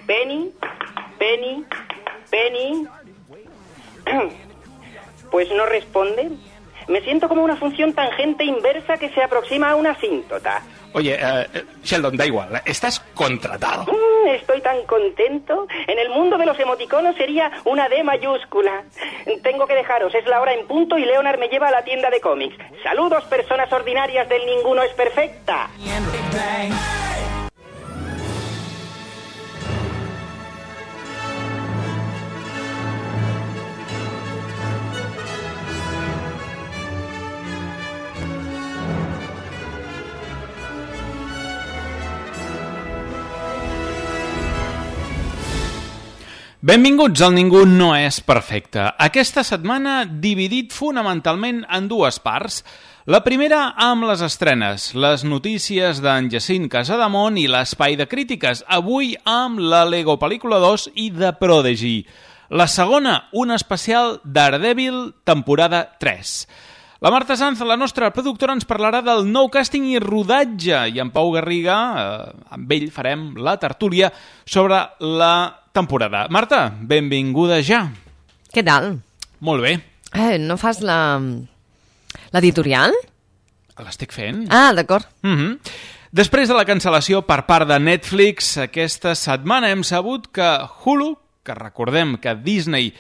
Penny, Penny, Penny. Pues no responde. Me siento como una función tangente inversa que se aproxima a una asíntota. Oye, Sheldon, da igual, estás contratado. Estoy tan contento. En el mundo de los emoticonos sería una D mayúscula. Tengo que dejaros, es la hora en punto y Leonard me lleva a la tienda de cómics. Saludos, personas ordinarias del Ninguno es Perfecta. Benvinguts al Ningú no és perfecte. Aquesta setmana dividit fonamentalment en dues parts. La primera amb les estrenes, les notícies d'en Jacint Casademont i l'espai de crítiques, avui amb la Lego Pel·lícula 2 i The Prodigy. La segona, un especial Daredevil, temporada 3. La Marta Sanz, la nostra productora, ens parlarà del nou càsting i rodatge i en Pau Garriga, amb ell farem la tertúlia sobre la temporada. Marta, benvinguda ja. Què tal? Molt bé. No fas l'editorial? L'estic fent. Ah, d'acord. Després de la cancel·lació per part de Netflix, aquesta setmana hem sabut que Hulu, que recordem que Disney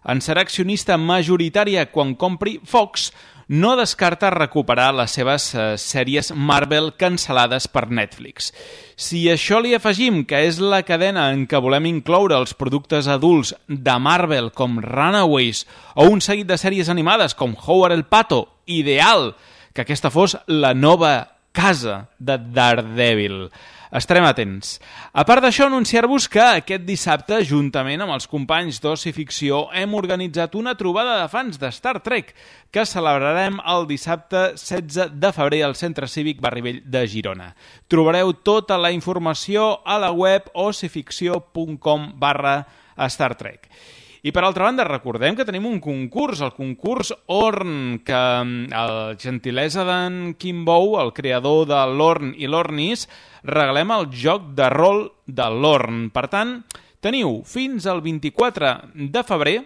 en serà accionista majoritària quan compri Fox, no descarta recuperar les seves sèries Marvel cancel·lades per Netflix. Si a això li afegim que és la cadena en què volem incloure els productes adults de Marvel com Runaways o un seguit de sèries animades com Howard el Pato, ideal que aquesta fos la nova casa de Daredevil. Estarem atents. A part d'això, anunciar-vos que aquest dissabte, juntament amb els companys d'Oci Ficció, hem organitzat una trobada de fans de Star Trek que celebrarem el dissabte 16 de febrer al Centre Cívic Barri Vell de Girona. Trobareu tota la informació a la web ocificció.com/Star Trek. I per altra banda, recordem que tenim un concurs, el concurs Orn, que el gentilesa d'en Kim Bou, el creador de l'Orn i l'Ornis, regalem el joc de rol de l'Orn. Per tant, teniu fins al 24 de febrer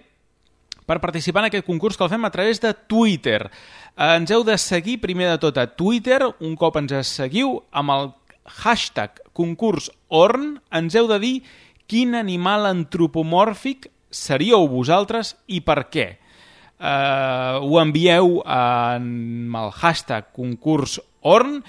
per participar en aquest concurs que el fem a través de Twitter. Ens heu de seguir primer de tot a Twitter, un cop ens seguiu amb el hashtag concurs Orn, ens heu de dir quin animal antropomòrfic seríeu vosaltres i per què. Ho envieu amb el hashtag concurs Orn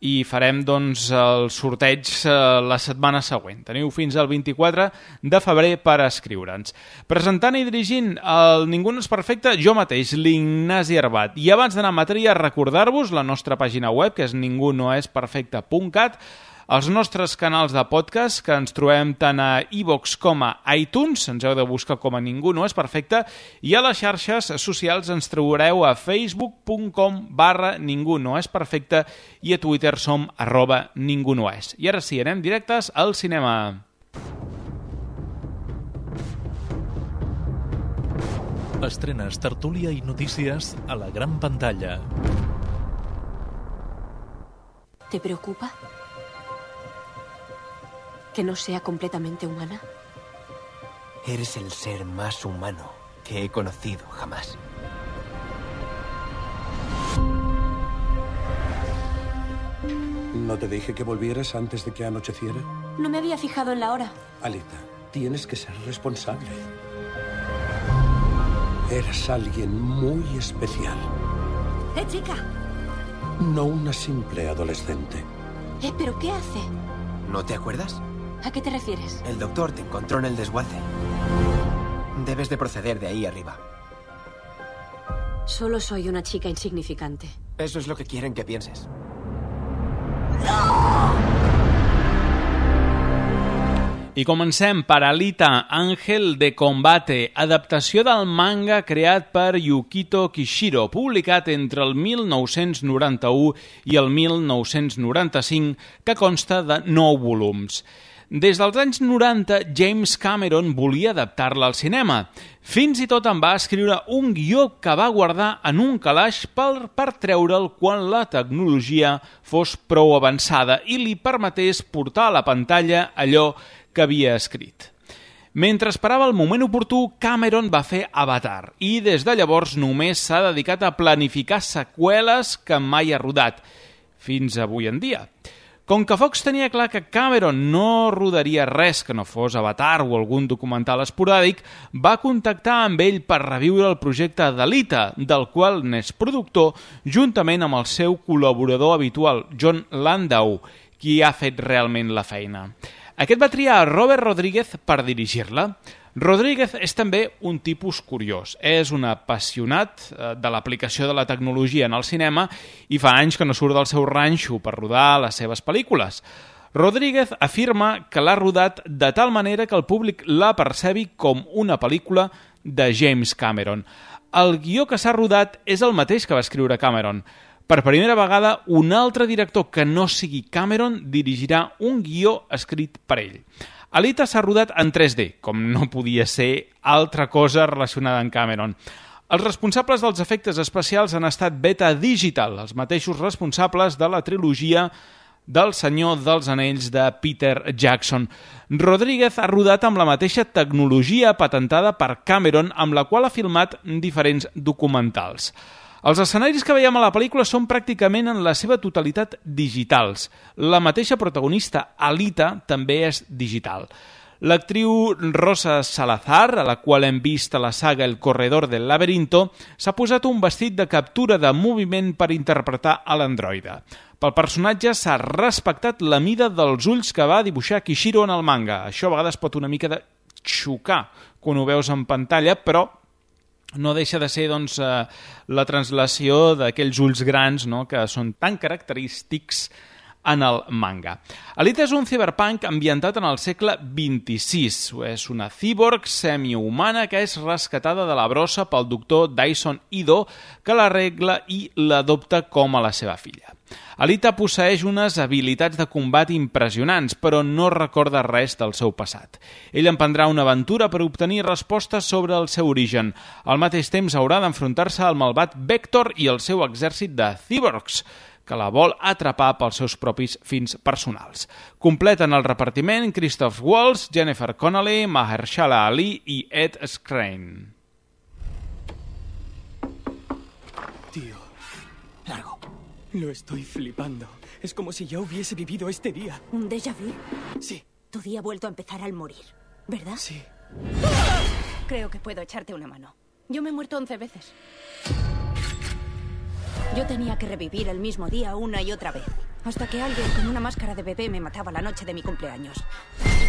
i farem doncs el sorteig la setmana següent. Teniu fins al 24 de febrer per escriure'ns. Presentant i dirigint el Ningú no és perfecte, jo mateix, l'Ignasi Arbat. I abans d'anar a matèria, recordar-vos la nostra pàgina web, que és ningunoesperfecte.cat, els nostres canals de podcast, que ens trobem tant a iVoox com a iTunes, ens heu de buscar com a Ningú no és perfecte, i a les xarxes socials ens trobareu a facebook.com/Ningú no és perfecte i a Twitter som @ningunoes. I ara sí, anem directes al cinema. Estrenes, tertúlia i notícies a la gran pantalla. ¿Te preocupa que no sea completamente humana? Eres el ser más humano que he conocido jamás. ¿No te dije que volvieras antes de que anocheciera? No me había fijado en la hora. Alita, tienes que ser responsable. Eres alguien muy especial. Chica! No una simple adolescente. ¿Pero qué hace? ¿No te acuerdas? ¿A qué te refieres? El doctor te encontró en el desguace. Debes de proceder de ahí arriba. Solo soy una chica insignificante. Eso es lo que quieren que pienses. I comencem per Alita, Ángel de Combate, adaptació del manga creat per Yukito Kishiro, publicat entre el 1991 i el 1995, que consta de 9 volums. Des dels anys 90, James Cameron volia adaptar-la al cinema. Fins i tot en va escriure un guió que va guardar en un calaix per treure'l quan la tecnologia fos prou avançada i li permetés portar a la pantalla allò que havia escrit. Mentre esperava el moment oportú, Cameron va fer Avatar i des de llavors només s'ha dedicat a planificar seqüeles que mai ha rodat, fins avui en dia. Com que Fox tenia clar que Cameron no rodaria res que no fos Avatar o algun documental esporàdic, va contactar amb ell per reviure el projecte d'Alita, del qual n'és productor, juntament amb el seu col·laborador habitual, John Landau, qui ha fet realment la feina. Aquest va triar a Robert Rodríguez per dirigir-la. Rodríguez és també un tipus curiós. És un apassionat de l'aplicació de la tecnologia en el cinema i fa anys que no surt del seu ranxo per rodar les seves pel·lícules. Rodríguez afirma que l'ha rodat de tal manera que el públic la percebi com una pel·lícula de James Cameron. El guió que s'ha rodat és el mateix que va escriure Cameron. Per primera vegada, un altre director que no sigui Cameron dirigirà un guió escrit per ell. Alita s'ha rodat en 3D, com no podia ser altra cosa relacionada amb Cameron. Els responsables dels efectes especials han estat Beta Digital, els mateixos responsables de la trilogia del Senyor dels Anells de Peter Jackson. Rodríguez ha rodat amb la mateixa tecnologia patentada per Cameron, amb la qual ha filmat diferents documentals. Els escenaris que veiem a la pel·lícula són pràcticament en la seva totalitat digitals. La mateixa protagonista, Alita, també és digital. L'actriu Rosa Salazar, a la qual hem vist a la saga El corredor del laberinto, s'ha posat un vestit de captura de moviment per interpretar a l'androide. Pel personatge s'ha respectat la mida dels ulls que va dibuixar Kishiro en el manga. Això a vegades pot una mica de xocar quan ho veus en pantalla, però no deixa de ser la translació d'aquells ulls grans, no?, que són tan característics en el manga. Alita és un cyberpunk ambientat en el segle XXVI. És una cíborg semihumana que és rescatada de la brossa pel doctor Dyson Ido, que l'arregla i l'adopta com a la seva filla. Alita posseeix unes habilitats de combat impressionants, però no recorda res del seu passat. Ell emprendrà una aventura per obtenir respostes sobre el seu origen. Al mateix temps haurà d'enfrontar-se al malvat Vector i el seu exèrcit de cyborgs, que la vol atrapar pels seus propis fins personals. Completen el repartiment Christoph Waltz, Jennifer Connelly, Mahershala Ali i Ed Skrein. Tío, Largo. lo estoy flipando. Es como si ya hubiese vivido este día. ¿Un déjà vu? Sí, Tu día ha vuelto a empezar al morir, ¿verdad? sí. Creo que puedo echarte una mano. Yo me he muerto 11 veces. Yo tenía que revivir el mismo día una y otra vez, hasta que alguien con una máscara de bebé me mataba la noche de mi cumpleaños.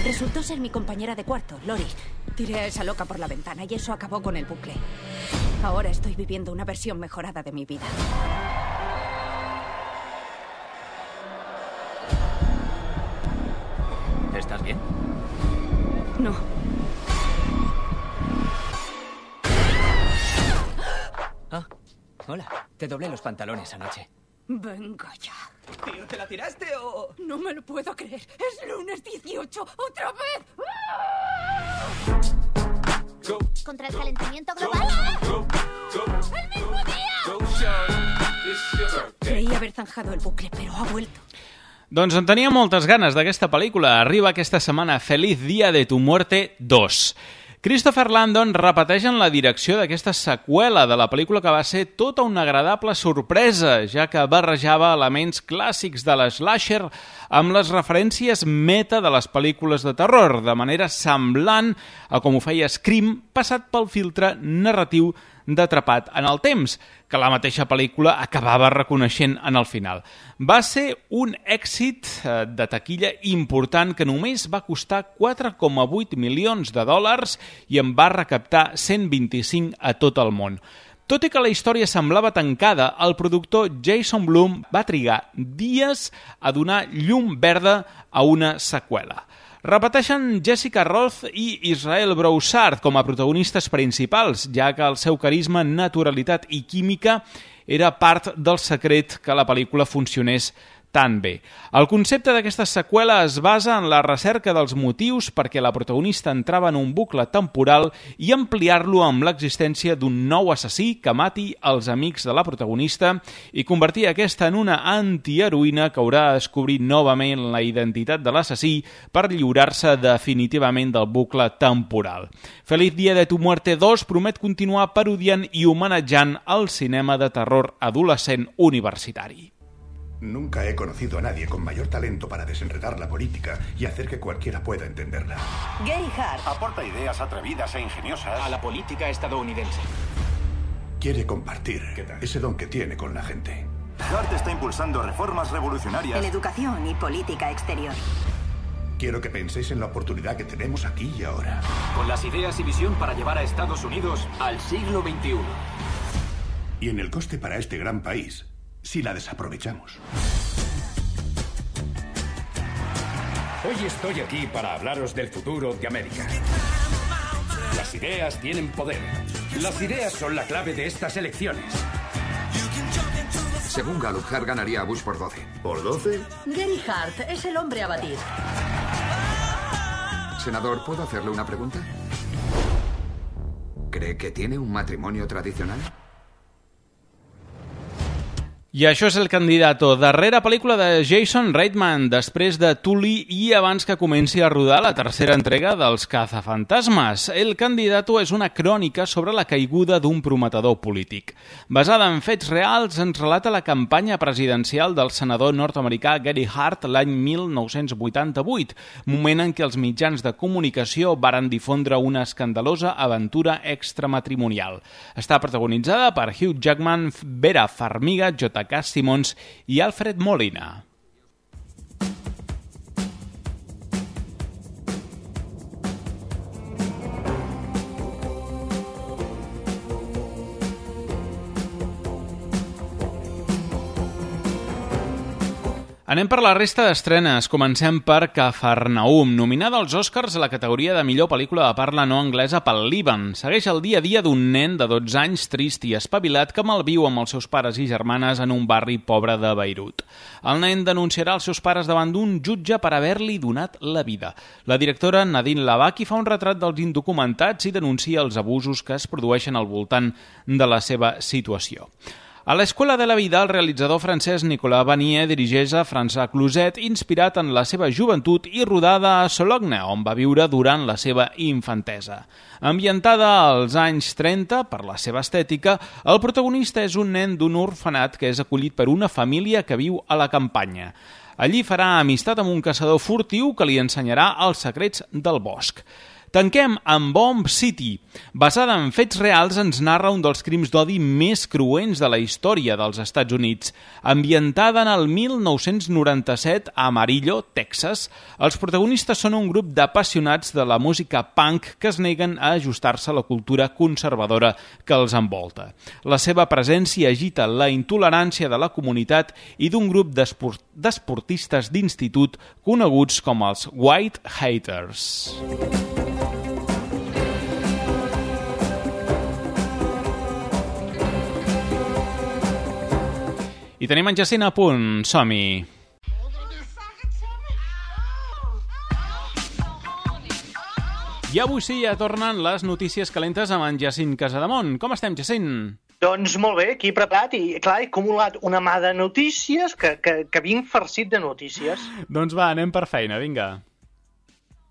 Resultó ser mi compañera de cuarto, Lori. Tiré a esa loca por la ventana y eso acabó con el bucle. Ahora estoy viviendo una versión mejorada de mi vida. ¿Estás bien? No. Ah, hola. Te doblé los pantalones anoche. Venga ya. Tío, ¿te la tiraste o...? No me lo puedo creer. Es lunes 18. ¡Otra vez! ¿Contra el calentamiento global? ¡El mismo día! Creí haber zanjado el bucle, pero ha vuelto. Doncs en tenia moltes ganes d'aquesta pel·lícula. Arriba aquesta setmana Feliz Día de tu Muerte 2. Christopher Landon repeteix en la direcció d'aquesta seqüela de la pel·lícula que va ser tota una agradable sorpresa, ja que barrejava elements clàssics de l'slasher amb les referències meta de les pel·lícules de terror, de manera semblant a com ho feia Scream, passat pel filtre narratiu d'Atrapat en el temps, que la mateixa pel·lícula acabava reconeixent en el final. Va ser un èxit de taquilla important que només va costar 4,8 milions de dòlars i en va recaptar 125 a tot el món. Tot i que la història semblava tancada, el productor Jason Blum va trigar dies a donar llum verda a una seqüela. Repeteixen Jessica Roth i Israel Broussard com a protagonistes principals, ja que el seu carisma, naturalitat i química era part del secret que la pel·lícula funcionés tan bé. El concepte d'aquesta seqüela es basa en la recerca dels motius perquè la protagonista entrava en un bucle temporal i ampliar-lo amb l'existència d'un nou assassí que mati els amics de la protagonista i convertir aquesta en una antiheroïna que haurà de descobrir novament la identitat de l'assassí per lliurar-se definitivament del bucle temporal. Feliz Día de tu Muerte 2 promet continuar parodiant i homenatjant el cinema de terror adolescent universitari. Nunca he conocido a nadie con mayor talento para desenredar la política y hacer que cualquiera pueda entenderla. Gary Hart Aporta ideas atrevidas e ingeniosas a la política estadounidense. Quiere compartir ese don que tiene con la gente. Hart está impulsando reformas revolucionarias En educación y política exterior. Quiero que penséis en la oportunidad que tenemos aquí y ahora. Con las ideas y visión para llevar a Estados Unidos al siglo XXI. Y en el coste para este gran país, si la desaprovechamos. Hoy estoy aquí para hablaros del futuro de América. Las ideas tienen poder. Las ideas son la clave de estas elecciones. Según Gallup, Hart ganaría a Bush por 12. ¿Por 12? Gary Hart es el hombre a batir. Senador, ¿puedo hacerle una pregunta? ¿Cree que tiene un matrimonio tradicional? I això és El Candidato, darrera pel·lícula de Jason Reitman, després de Tully i abans que comenci a rodar la tercera entrega dels Cazafantasmes. El Candidato és una crònica sobre la caiguda d'un prometedor polític. Basada en fets reals, ens relata la campanya presidencial del senador nord-americà Gary Hart l'any 1988, moment en què els mitjans de comunicació varen difondre una escandalosa aventura extramatrimonial. Està protagonitzada per Hugh Jackman, Vera Farmiga, J.K. Simmons i Alfred Molina. Anem per la resta d'estrenes. Comencem per Cafarnaum, nominada als Oscars a la categoria de millor pel·lícula de parla no anglesa pel Líban. Segueix el dia a dia d'un nen de 12 anys trist i espavilat que malviu amb els seus pares i germanes en un barri pobre de Beirut. El nen denunciarà els seus pares davant d'un jutge per haver-li donat la vida. La directora Nadine Labaki fa un retrat dels indocumentats i denuncia els abusos que es produeixen al voltant de la seva situació. A l'Escola de la Vida, el realitzador francès Nicolas Vanier dirigeix a François Cluzet, inspirat en la seva joventut i rodada a Sologne, on va viure durant la seva infantesa. Ambientada als anys 30, per la seva estètica, el protagonista és un nen d'un orfenat que és acollit per una família que viu a la campanya. Allí farà amistat amb un caçador furtiu que li ensenyarà els secrets del bosc. Tanquem amb Bomb City. Basada en fets reals, ens narra un dels crims d'odi més cruents de la història dels Estats Units. Ambientada en el 1997 a Amarillo, Texas, els protagonistes són un grup d'apassionats de la música punk que es neguen a ajustar-se a la cultura conservadora que els envolta. La seva presència agita la intolerància de la comunitat i d'un grup d'esportistes d'institut coneguts com els White Haters. I tenim en Jacint a punt. Som-hi! I avui sí, ja tornen les notícies calentes amb en Jacint Casademont. Com estem, Jacint? Doncs molt bé, aquí preparat i, clar, he acumulat una mà de notícies que vinc farcit de notícies. Doncs va, anem per feina, vinga.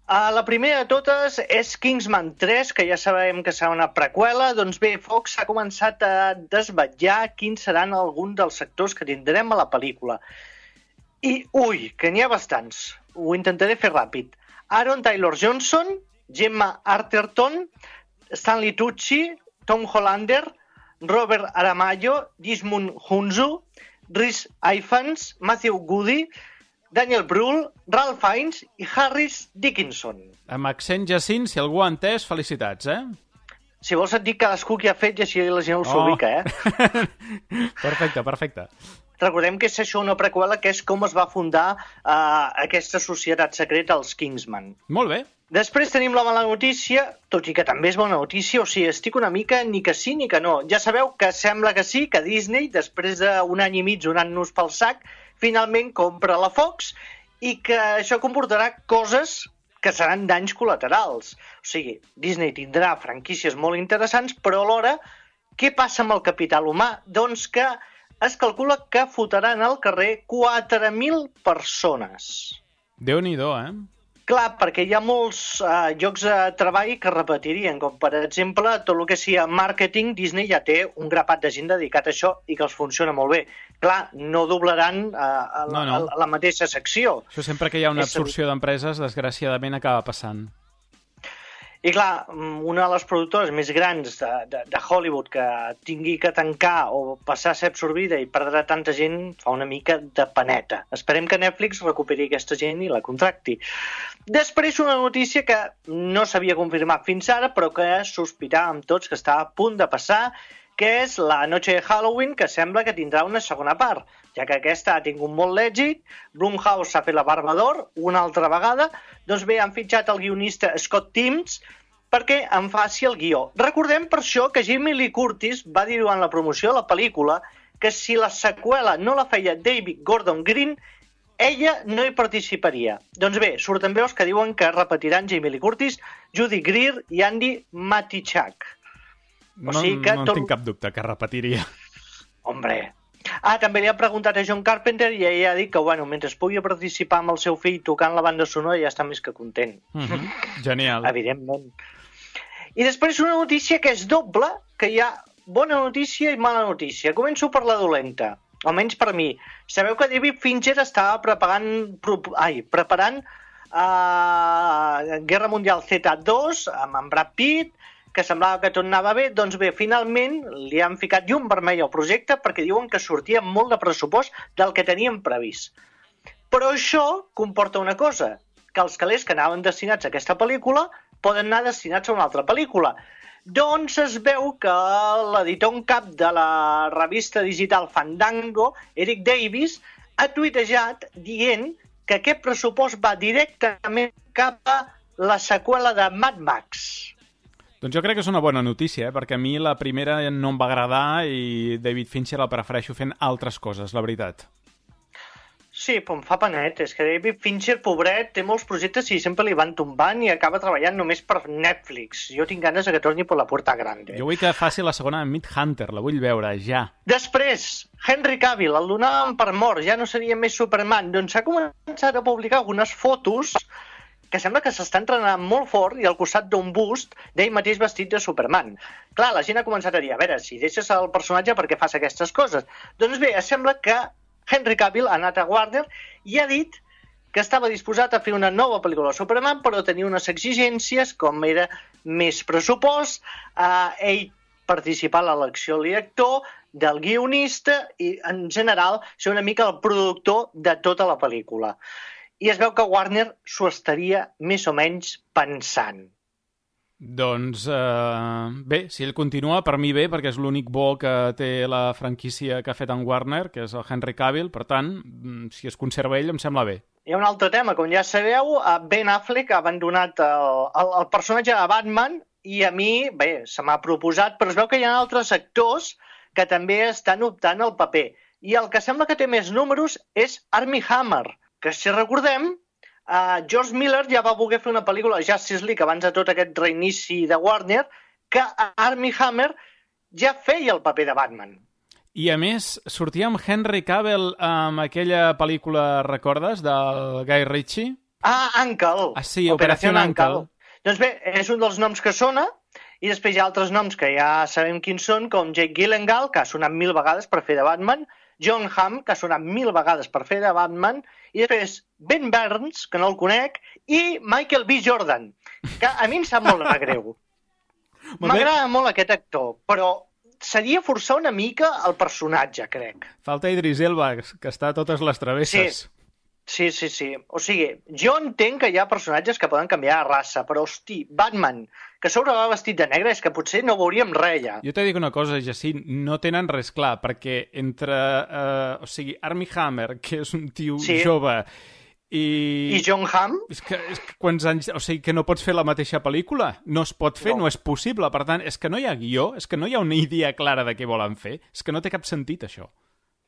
La primera de totes és Kingsman 3, que ja sabem que serà una preqüela. Doncs bé, Fox ha començat a desvetllar quins seran alguns dels sectors que tindrem a la pel·lícula. I, que n'hi ha bastants. Ho intentaré fer ràpid. Aaron Taylor-Johnson, Gemma Arterton, Stanley Tucci, Tom Hollander, Robert Aramayo, Desmond Hunzu, Rhys Ifans, Matthew Goody, Daniel Brühl, Ralph Fiennes i Harris Dickinson. Amb accent Jacint, si algú ha entès, felicitats, eh? Si vols et dic cadascú qui ha fet i així la gent s'ubica, eh? Perfecte. Recordem que és això una preqüela, que és com es va fundar aquesta societat secreta, els Kingsman. Molt bé. Després tenim la mala notícia, tot i que també és bona notícia, o sigui, estic una mica ni que sí ni que no. Ja sabeu que sembla que sí, que Disney, després d'un any i mig donant-nos pel sac, finalment compra la Fox i que això comportarà coses que seran danys col·laterals. O sigui, Disney tindrà franquícies molt interessants, però alhora, què passa amb el capital humà? Doncs que es calcula que fotran al carrer 4.000 persones. Déu-n'hi-do, Clar, perquè hi ha molts llocs de treball que repetirien, com per exemple tot el que sigui màrqueting. Disney ja té un grapat de gent dedicat a això i que els funciona molt bé. Clar, no doblaran la mateixa secció. Això sempre que hi ha una absorció d'empreses, desgraciadament acaba passant. I clar, una de les productores més grans de Hollywood que tingui que tancar o passar a ser absorbida i perdrà tanta gent fa una mica de paneta. Esperem que Netflix recuperi aquesta gent i la contracti. Després una notícia que no s'havia confirmat fins ara, però que sospitàvem tots que estava a punt de passar, que és la Noche de Halloween, que sembla que tindrà una segona part, ja que aquesta ha tingut molt d'èxit. Blumhouse s'ha fet la barba d'or una altra vegada. Doncs bé, han fitxat el guionista Scott Teems perquè en faci el guió. Recordem per això que Jamie Lee Curtis va dir durant la promoció de la pel·lícula que si la seqüela no la feia David Gordon Green, ella no hi participaria. Doncs bé, surten veus que diuen que repetiran Jamie Lee Curtis, Judy Greer i Andy Matichak. No tinc cap dubte que repetiria. Hombre. També li ha preguntat a John Carpenter i ella ha dit que, mentre pugui participar amb el seu fill tocant la banda sonora ja està més que content. Genial. Evidentment. I després una notícia que és doble, que hi ha bona notícia i mala notícia. Començo per la dolenta, almenys per mi. Sabeu que David Fincher estava preparant Guerra Mundial Z2 amb en Brad Pitt, que semblava que tot anava bé. Doncs bé, finalment li han ficat llum vermell al projecte perquè diuen que sortia molt de pressupost del que teníem previst. Però això comporta una cosa, que els calés que anaven destinats a aquesta pel·lícula poden anar destinats a una altra pel·lícula. Doncs es veu que l'editor en cap de la revista digital Fandango, Eric Davis, ha tuitejat dient que aquest pressupost va directament cap a la seqüela de Mad Max. Doncs jo crec que és una bona notícia, perquè a mi la primera no em va agradar i David Fincher el prefereixo fent altres coses, la veritat. Sí, però em fa panet. És que David Fincher, pobret, té molts projectes i sempre li van tombant i acaba treballant només per Netflix. Jo tinc ganes que torni per la puerta grande. Jo vull que faci la segona de Mindhunter, la vull veure, ja. Després, Henry Cavill, el donaven per mort, ja no seria més Superman. Doncs s'ha començat a publicar algunes fotos que sembla que s'està entrenant molt fort i al costat d'un bust d'ell mateix vestit de Superman. Clar, la gent ha començat a dir, a veure, si deixes el personatge, per què fas aquestes coses? Doncs bé, sembla que Henry Cavill ha anat a Warner i ha dit que estava disposat a fer una nova pel·lícula de Superman, però tenia unes exigències, com era més pressupost, ell participar a l'elecció del director, del guionista i, en general, ser una mica el productor de tota la pel·lícula. I es veu que Warner s'ho estaria més o menys pensant. Doncs bé, si ell continua, per mi bé, perquè és l'únic bo que té la franquícia que ha fet en Warner, que és el Henry Cavill, per tant, si es conserva ell, em sembla bé. Hi ha un altre tema, com ja sabeu, Ben Affleck ha abandonat el personatge de Batman i a mi, bé, se m'ha proposat, però es veu que hi ha altres actors que també estan optant al paper. I el que sembla que té més números és Armie Hammer, que si recordem, George Miller ja va voler fer una pel·lícula Justice League abans de tot aquest reinici de Warner, que Armie Hammer ja feia el paper de Batman. I a més, sortia amb Henry Cavill amb aquella pel·lícula, recordes, del Guy Ritchie? Uncle. Sí, Operació Uncle. Doncs bé, és un dels noms que sona, i després hi ha altres noms que ja sabem quins són, com Jake Gyllenhaal, que ha sonat 1000 vegades per fer de Batman, John Hamm, que ha sonat 1000 vegades per fer de Batman, i després Ben Burns, que no el conec, i Michael B. Jordan, que a mi em sap molt de greu. M'agrada molt aquest actor, però seria forçar una mica el personatge, crec. Falta Idris Elba, que està a totes les travesses. Sí. O sigui, jo entenc que hi ha personatges que poden canviar de raça, però, hosti, Batman, que sobre va vestit de negre, és que potser no veuríem res ja. Jo t'he dit una cosa, Jacint, no tenen res clar, perquè entre, Armie Hammer, que és un tio jove, i John Hamm? És que quants anys... O sigui, que no pots fer la mateixa pel·lícula? No es pot fer, no és possible. Per tant, és que no hi ha guió, és que no hi ha una idea clara de què volen fer. És que no té cap sentit, això.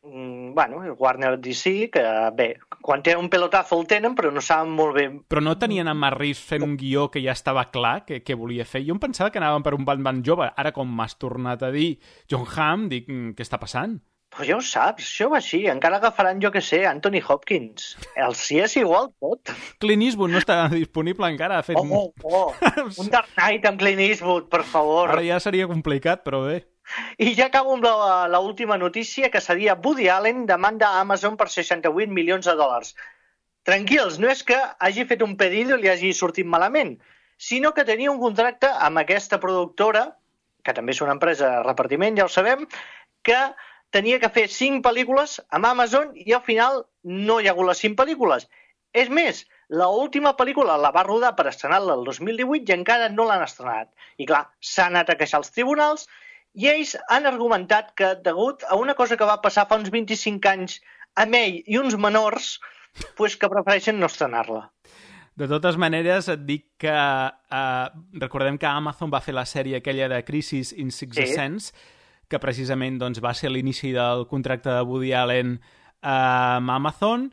Warner DC, que bé, quan tenen un pelotazo el tenen, però no saben molt bé. Però no tenien en Matt Reeves fent un guió que ja estava clar que volia fer. Jo em pensava que anàvem per un Batman jove. Ara, com m'has tornat a dir John Hamm, dic, què està passant? Però ja ho saps, això va així. Encara agafaran, jo que sé, Anthony Hopkins. El sí és igual tot. Clint Eastwood no està disponible encara. Un Dark Knight amb Clint Eastwood, per favor. Ara ja seria complicat, però bé. I ja acabo amb l'última notícia, que seria Woody Allen demanda a Amazon per $68 milions. Tranquils, no és que hagi fet un pedido i li hagi sortit malament, sinó que tenia un contracte amb aquesta productora, que també és una empresa de repartiment, ja ho sabem, que tenia que fer 5 pel·lícules amb Amazon i al final no hi ha hagut les 5 pel·lícules. És més, l'última pel·lícula la va rodar per estrenar-la el 2018 i encara no l'han estrenat. I clar, s'han anat a queixar als tribunals i ells han argumentat que, degut a una cosa que va passar fa uns 25 anys amb ell i uns menors, pues que prefereixen no estrenar-la. De totes maneres, et dic que recordem que Amazon va fer la sèrie aquella de Crisis in Sixth Sense, que precisament doncs, va ser l'inici del contracte de Woody Allen amb Amazon,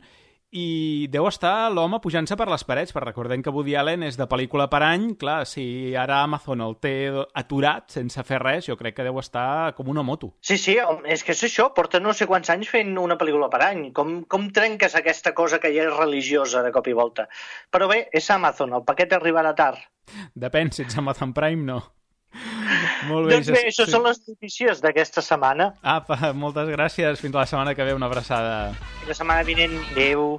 i deu estar l'home pujant-se per les parets, perquè recordem que Woody Allen és de pel·lícula per any. Clar, si ara Amazon el té aturat sense fer res, jo crec que deu estar com una moto. Sí, és que és això, porta no sé quants anys fent una pel·lícula per any. Com trenques aquesta cosa que ja és religiosa de cop i volta? Però bé, és Amazon, el paquet arribarà tard. Depèn, si ets Amazon Prime, no. Molt bé, doncs bé, això són les notícies d'aquesta setmana. Apa, moltes gràcies. Fins la setmana que ve, una abraçada. Fins la setmana vinent. Adéu.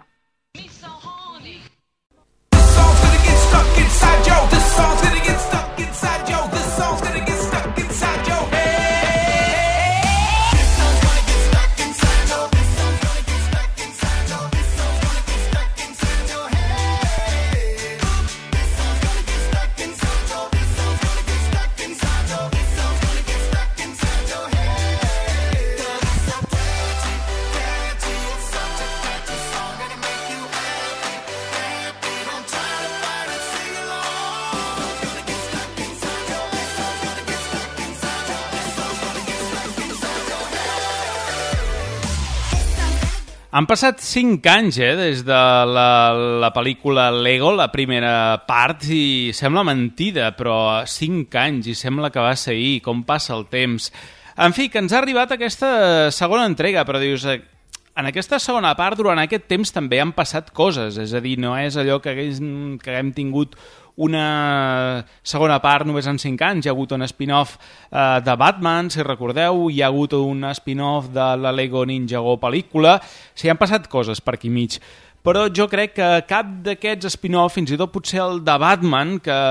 Han passat 5 anys des de la pel·lícula Lego, la primera part, i sembla mentida, però 5 anys, i sembla que va ser ahir, com passa el temps. En fi, que ens ha arribat aquesta segona entrega, però dius, en aquesta segona part, durant aquest temps també han passat coses, és a dir, no és allò que haguem tingut una segona part només en 5 anys. Hi ha hagut un spin-off de Batman, si recordeu, hi ha hagut un spin-off de la Lego Ninjago pel·lícula. Sí, han passat coses per aquí mig. Però jo crec que cap d'aquests spin-off, fins i tot potser el de Batman, que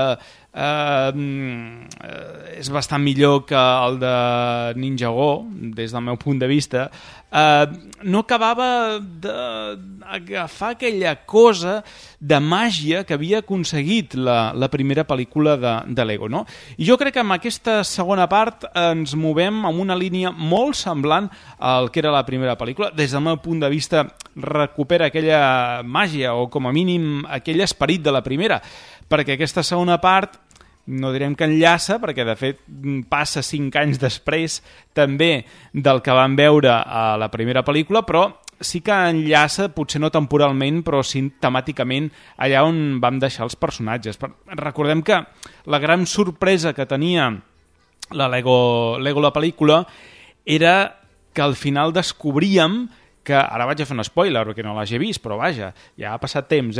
és bastant millor que el de Ninjago, des del meu punt de vista, no acabava d'agafar aquella cosa de màgia que havia aconseguit la primera pel·lícula de Lego, no? I jo crec que amb aquesta segona part ens movem amb una línia molt semblant al que era la primera pel·lícula. Des del meu punt de vista recupera aquella màgia, o com a mínim aquell esperit de la primera, perquè aquesta segona part no direm que enllaça, perquè de fet passa 5 anys després també del que vam veure a la primera pel·lícula, però sí que enllaça, potser no temporalment, però sí temàticament allà on vam deixar els personatges. Recordem que la gran sorpresa que tenia la Lego la pel·lícula era que al final descobríem que, ara vaig a fer un spoiler perquè no l'hagi vist, però vaja, ja ha passat temps,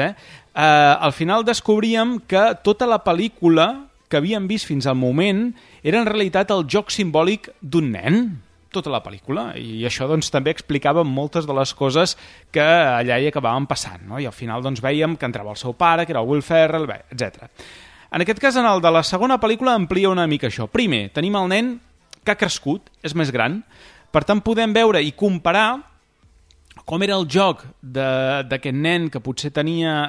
al final descobríem que tota la pel·lícula que havíem vist fins al moment era en realitat el joc simbòlic d'un nen, tota la pel·lícula, i això doncs també explicava moltes de les coses que allà hi acabaven passant, no? I al final doncs vèiem que entrava el seu pare, que era el Will Ferrell, etc. En aquest cas, en el de la segona pel·lícula, amplia una mica això. Primer, tenim el nen que ha crescut, és més gran, per tant podem veure i comparar com era el joc d'aquest nen que potser tenia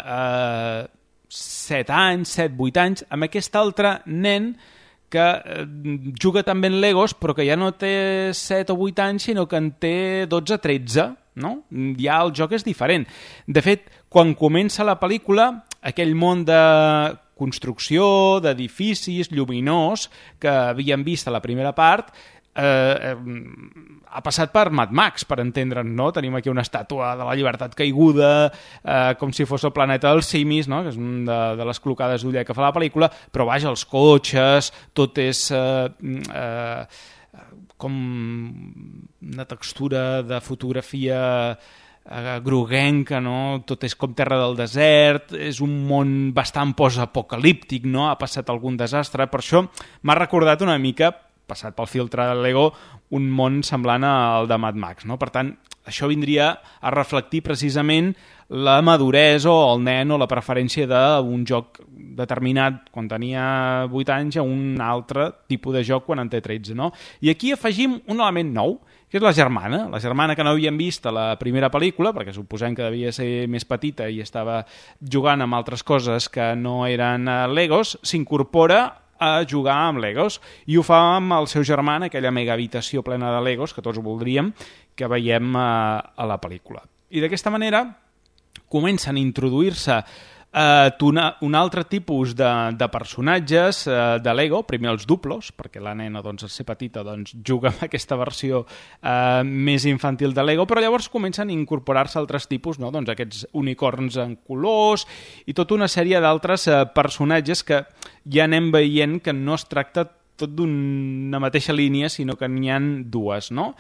7 anys, 7-8 anys, amb aquest altre nen que juga també en Legos, però que ja no té 7 o 8 anys, sinó que en té 12-13, no? Ja el joc és diferent. De fet, quan comença la pel·lícula, aquell món de construcció, d'edificis, lluminós, que havíem vist a la primera part, ha passat per Mad Max, per entendre'n, no? Tenim aquí una estàtua de la llibertat caiguda, com si fos el planeta dels simis, no? Que és una de les clocades d'uller que fa la pel·lícula, però vaja, els cotxes, tot és com una textura de fotografia groguenca, no? Tot és com terra del desert, és un món bastant post-apocalíptic, no? Ha passat algun desastre, per això m'ha recordat una mica, passat pel filtre de Lego, un món semblant al de Mad Max, no? Per tant, això vindria a reflectir precisament la maduresa o el nen o la preferència d'un joc determinat quan tenia 8 anys a un altre tipus de joc quan en té 13, no? I aquí afegim un element nou, que és la germana que no havíem vist a la primera pel·lícula, perquè suposem que devia ser més petita i estava jugant amb altres coses que no eren Legos, s'incorpora a jugar amb Legos, i ho fa amb el seu germà en aquella mega habitació plena de Legos que tots voldríem, que veiem a la pel·lícula. I d'aquesta manera comencen a introduir-se un altre tipus de personatges de Lego, primer els duplos, perquè la nena, doncs, al ser petita, doncs, juga amb aquesta versió més infantil de Lego, però llavors comencen a incorporar-se altres tipus, no? Doncs aquests unicorns en colors i tota una sèrie d'altres personatges que ja anem veient que no es tracta tot d'una mateixa línia, sinó que n'hi ha dues, no?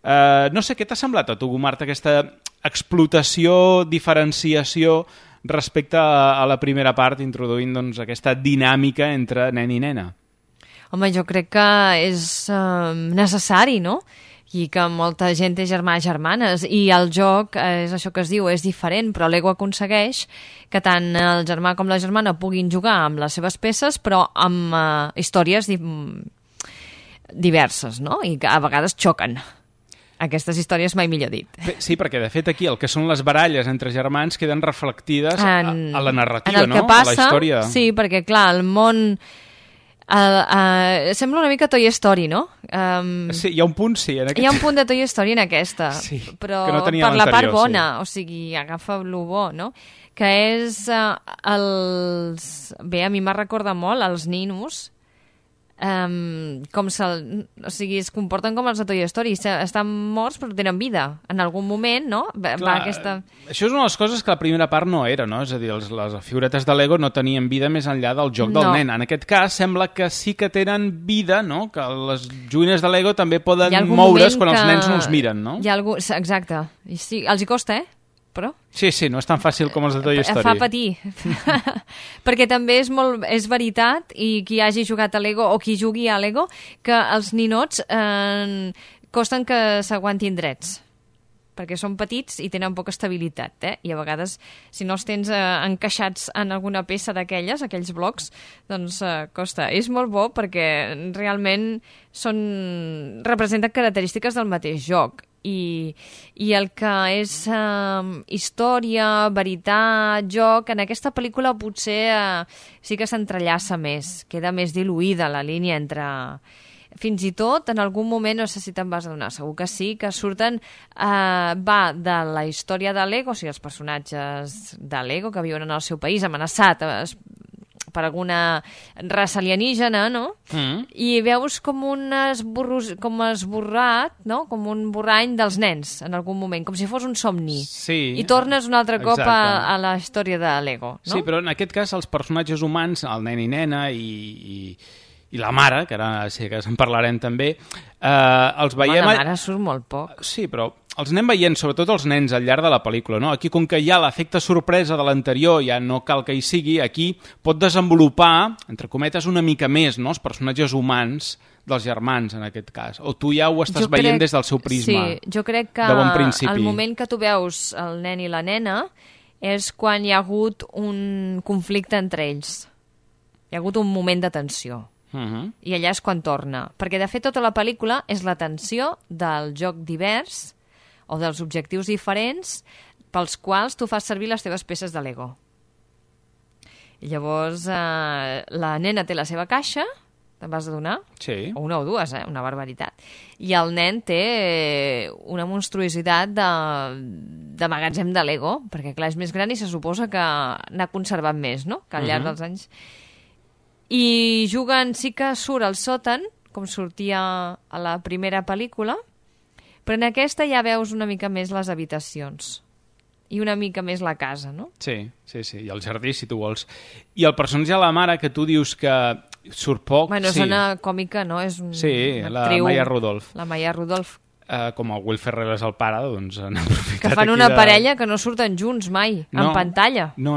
No sé, què t'ha semblat a tu, Marta, aquesta explotació, diferenciació respecte a la primera part, introduint doncs, aquesta dinàmica entre nen i nena? Home, jo crec que és necessari, no? I que molta gent té germans, i el joc és això que es diu, és diferent, però Lego aconsegueix que tant el germà com la germana puguin jugar amb les seves peces, però amb històries diverses, no? I que a vegades xoquen. Aquestes històries mai millor dit. Sí, perquè de fet aquí el que són les baralles entre germans queden reflectides a la narrativa, en el no? Que passa, a la història. Sí, perquè clar, el món sembla una mica Toy Story, no? Sí, hi ha un punt, sí. Hi ha un punt de Toy Story en aquesta, sí, però que no tenia per la part bona, sí. O sigui, agafa el bo, no? Que és Bé, a mi m'ha recordat molt els ninos, o sigui, es comporten com els de Toy Story, estan morts però tenen vida en algun moment, no? Clar, això és una de les coses que la primera part no era, no? És a dir, les figuretes de Lego no tenien vida més enllà del joc del nen. En aquest cas sembla que sí que tenen vida, no? Que les joguines de Lego també poden moure's quan els nens no els miren, no? Exacte. I sí, els hi costa, però... Sí, no és tan fàcil com els de Toy Story. Fa patir. Perquè també és veritat, i qui hagi jugat a Lego o qui jugui a Lego, que els ninots costen que s'aguantin drets. Perquè són petits i tenen poca estabilitat, I a vegades, si no els tens encaixats en alguna peça d'aquelles, aquells blocs, doncs costa. És molt bo perquè realment representen característiques del mateix joc. I el que és història, veritat, joc, en aquesta pel·lícula potser sí que s'entrellaça més, queda més diluïda la línia entre... Fins i tot, en algun moment, no sé si te'n vas adonar, segur que sí, que surten, va de la història de Lego, o sigui, els personatges de Lego que viuen en el seu país, amenaçat per alguna raça alienígena, no? I veus com esborrat, no? Com un borrany dels nens, en algun moment, com si fos un somni. Sí. I tornes un altre cop a la història de Lego, no? Sí, però en aquest cas els personatges humans, el nen i nena i la mare, que ara sí que en parlarem també, els veiem... La mare surt molt poc. Sí, però els anem veient, sobretot els nens, al llarg de la pel·lícula, no? Aquí, com que hi ha l'efecte sorpresa de l'anterior, ja no cal que hi sigui, aquí pot desenvolupar, entre cometes, una mica més, no?, els personatges humans dels germans, en aquest cas. O tu ja ho estàs veient des del seu prisma. Sí, jo crec que bon principi. El moment que tu veus el nen i la nena és quan hi ha hagut un conflicte entre ells. Hi ha hagut un moment de tensió. I allà és quan torna. Perquè, de fet, tota la pel·lícula és la tensió del joc divers o dels objectius diferents pels quals tu fas servir les teves peces de Lego. I llavors la nena té la seva caixa, te'n vas adonar? Sí. O una o dues, una barbaritat. I el nen té una monstruositat de magatzem de Lego, perquè clar, és més gran i se suposa que n'ha conservat més, no?, que al llarg dels anys. I juguen, sí que surt al sòtan, com sortia a la primera pel·lícula, però en aquesta ja veus una mica més les habitacions i una mica més la casa, no? Sí, i el jardí, si tu vols. I el personatge de la mare, que tu dius que surt poc... Bueno, és una còmica, no? És la Maya Rudolph. La Maya Rudolph. Com el Will Ferrell és el pare, doncs han aprofitat que fan una parella que no surten junts mai, en pantalla. No.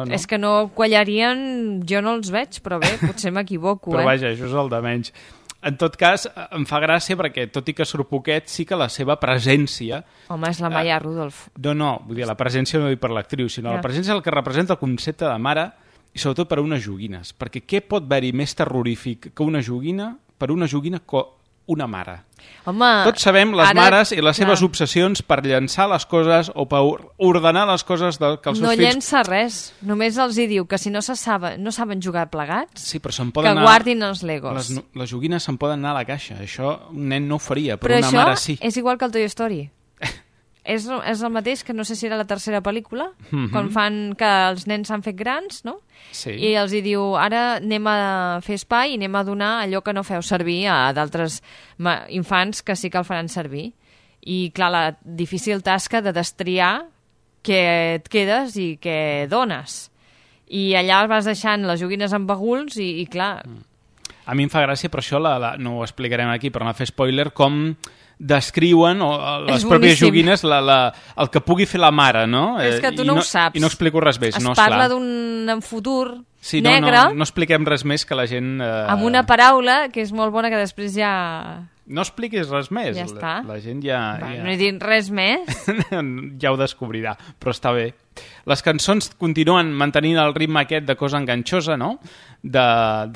És que no quallarien, jo no els veig, però bé, potser m'equivoco. Però vaja, això és el de menys. En tot cas, em fa gràcia perquè, tot i que surt poquet, sí que la seva presència... Home, és la Maya Rudolph. No, vull dir, la presència no dic per l'actriu, sinó la presència és el que representa el concepte de mare, i sobretot per a unes joguines. Perquè què pot haver-hi més terrorífic que una joguina, per una joguina, una mare? Home, tots sabem les mares i les seves obsessions per llançar les coses o per ordenar les coses que els seus fills... No llença res, només els hi diu que si no saben jugar plegats, que guardin els Legos. Les joguines se'n poden anar a la caixa, això un nen no ho faria, però una mare sí. Però això és igual que el Toy Story. És el mateix, que no sé si era la tercera pel·lícula, quan fan que els nens s'han fet grans, no? Sí. I els hi diu, ara anem a fer espai i anem a donar allò que no feu servir a d'altres infants que sí que el faran servir. I, clar, la difícil tasca de destriar què et quedes i què dones. I allà vas deixant les joguines amb baguls i clar... A mi em fa gràcia, però això no ho explicarem aquí, però no fer spoiler, com descriuen les pròpies joguines el que pugui fer la mare, no? És que tu no ho saps. I no explico res més. Es parla d'un futur negre... No expliquem res més que la gent... Amb una paraula que és molt bona que després ja... No expliquis res més. Ja està. La gent ja... No he dit res més. Ja ho descobrirà, però està bé. Les cançons continuen mantenint el ritme aquest de cosa enganxosa, no?, de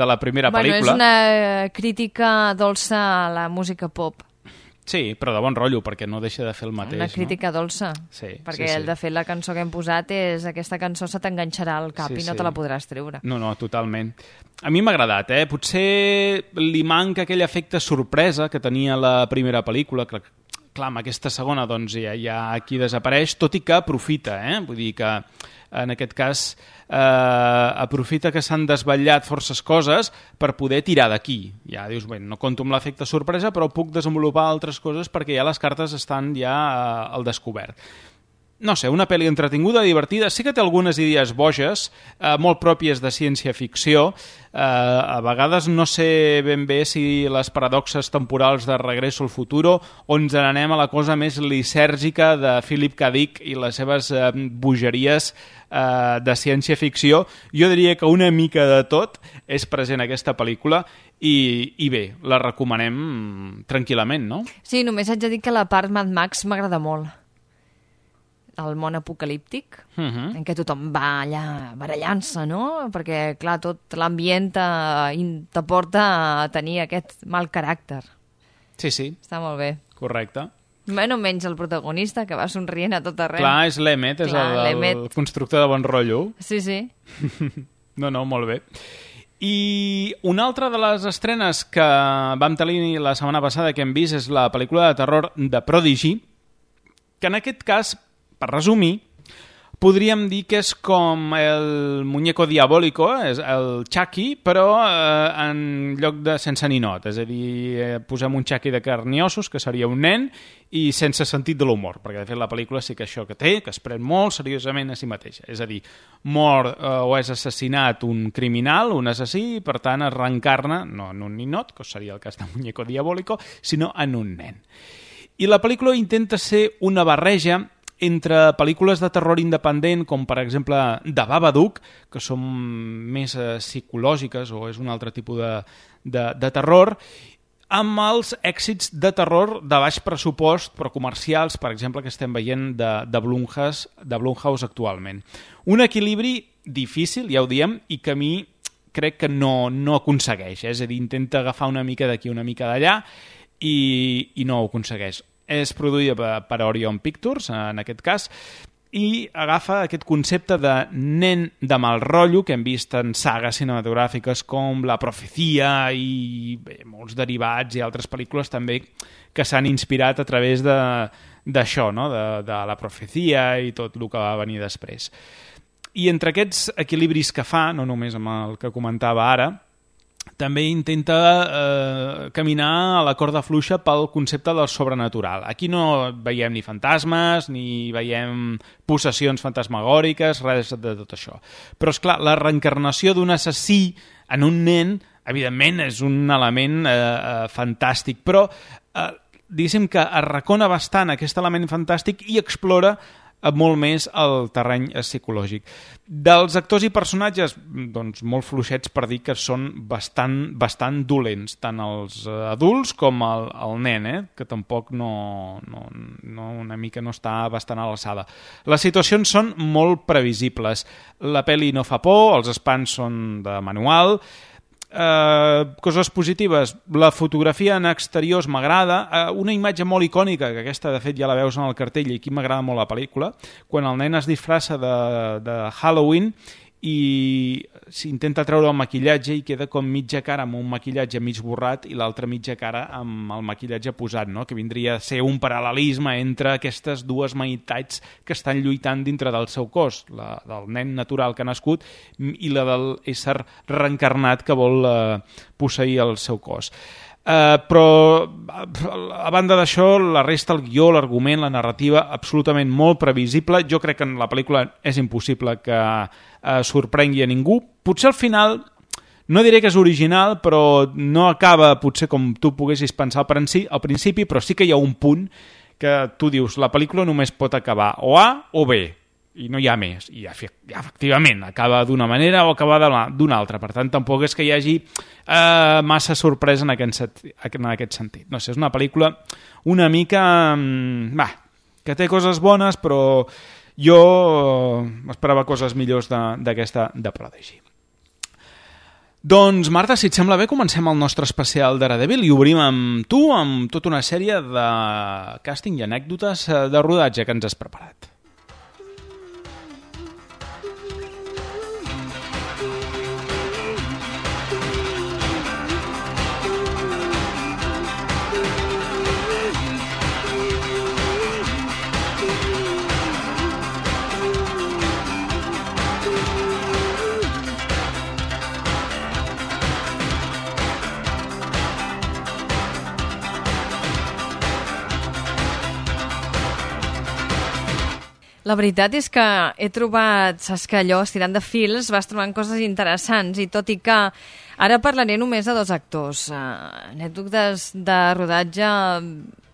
la primera pel·lícula. És una crítica dolça a la música pop. Sí, però de bon rotllo, perquè no deixa de fer el mateix. Una crítica dolça, perquè de fet la cançó que hem posat és aquesta cançó se t'enganxarà al cap i no te la podràs treure. No, totalment. A mi m'ha agradat, Potser li manca aquell efecte sorpresa que tenia la primera pel·lícula, que clar, amb aquesta segona doncs ja aquí desapareix, tot i que aprofita, vull dir que en aquest cas aprofita que s'han desvetllat forces coses per poder tirar d'aquí. Ja dius, bé, no compto amb l'efecte sorpresa, però puc desenvolupar altres coses perquè ja les cartes estan ja al descobert. No sé, una pel·li entretinguda, divertida, sí que té algunes idees boges, molt pròpies de ciència-ficció. A vegades no sé ben bé si les paradoxes temporals de Regreso al Futuro o ens n'anem a la cosa més lisèrgica de Philip K. Dick i les seves bogeries de ciència-ficció. Jo diria que una mica de tot és present en aquesta pel·lícula i bé, la recomanem tranquil·lament, no? Sí, només haig de dir que la part Mad Max m'agrada molt. El món apocalíptic, en què tothom va allà barallant-se, no? Perquè, clar, tot l'ambient te porta a tenir aquest mal caràcter. Sí. Està molt bé. Correcte. Bueno, menys el protagonista, que va somrient a tot arreu. Clar, és l'Emmet, és el constructor de bon rotllo. Sí. No, molt bé. I una altra de les estrenes que vam tenir la setmana passada que hem vist és la pel·lícula de terror de Prodigy, que en aquest cas, per resumir, podríem dir que és com el muñeco diabólico, és el Chucky, però en lloc de sense ninot. És a dir, posem un Chucky de carn i ossos, que seria un nen, i sense sentit de l'humor, perquè de fet la pel·lícula sí que això que té, que es pren molt seriosament a si mateixa. És a dir, mor o és assassinat un criminal, un assassí, i per tant es reencarna, no en un ninot, que seria el cas de muñeco diabólico, sinó en un nen. I la pel·lícula intenta ser una barreja entre pel·lícules de terror independent, com per exemple The Babadook, que són més psicològiques o és un altre tipus de terror, amb els èxits de terror de baix pressupost, però comercials, per exemple, que estem veient de Blumhouse actualment. Un equilibri difícil, ja ho diem, i que a mi crec que no aconsegueix. És a dir, intenta agafar una mica d'aquí, una mica d'allà, i no ho aconsegueix. És produïda per Orion Pictures, en aquest cas, i agafa aquest concepte de nen de mal rotllo que hem vist en sagues cinematogràfiques com La Profecia i molts derivats i altres pel·lícules també que s'han inspirat a través d'això, no? de La Profecia i tot el que va venir després. I entre aquests equilibris que fa, no només amb el que comentava ara, també intenta caminar a la corda fluixa pel concepte del sobrenatural. Aquí no veiem ni fantasmes, ni veiem possessions fantasmagòriques, res de tot això. Però, esclar, la reencarnació d'un assassí en un nen, evidentment, és un element fantàstic, però diguéssim que arracona bastant aquest element fantàstic i explora molt més el terreny psicològic. Dels actors i personatges, doncs molt fluixets per dir que són bastant dolents, tant els adults com el nen, que tampoc una mica no està bastant a l'alçada. Les situacions són molt previsibles. La pel·li no fa por, els espants són de manual. Coses positives, la fotografia en exteriors m'agrada, una imatge molt icònica, que aquesta de fet ja la veus en el cartell i aquí m'agrada molt la pel·lícula, quan el nen es disfressa de Halloween i s'intenta treure el maquillatge i queda com mitja cara amb un maquillatge mig borrat i l'altra mitja cara amb el maquillatge posat, no? Que vindria a ser un paral·lelisme entre aquestes dues meitats que estan lluitant dintre del seu cos, la del nen natural que ha nascut i la del ésser reencarnat que vol posseir el seu cos. Però a banda d'això, la resta, el guió, l'argument, la narrativa, absolutament molt previsible. Jo crec que en la pel·lícula és impossible que sorprengui a ningú. Potser al final, no diré que és original, però no acaba potser com tu poguessis pensar al principi, però sí que hi ha un punt que tu dius, la pel·lícula només pot acabar o A o B, i no hi ha més, i efectivament acaba d'una manera o acaba d'una altra, per tant tampoc és que hi hagi massa sorpresa en aquest sentit. No sé, és una pel·lícula una mica que té coses bones, però jo m'esperava coses millors d'aquesta de Prodigy. Doncs Marta, si et sembla bé, comencem el nostre especial Daredevil i obrim amb tu amb tota una sèrie de càsting i anècdotes de rodatge que ens has preparat. La veritat és que he trobat, saps que allò, estirant de fils, vas trobant coses interessants i tot i que ara parlaré només de dos actors. Anècdotes de rodatge,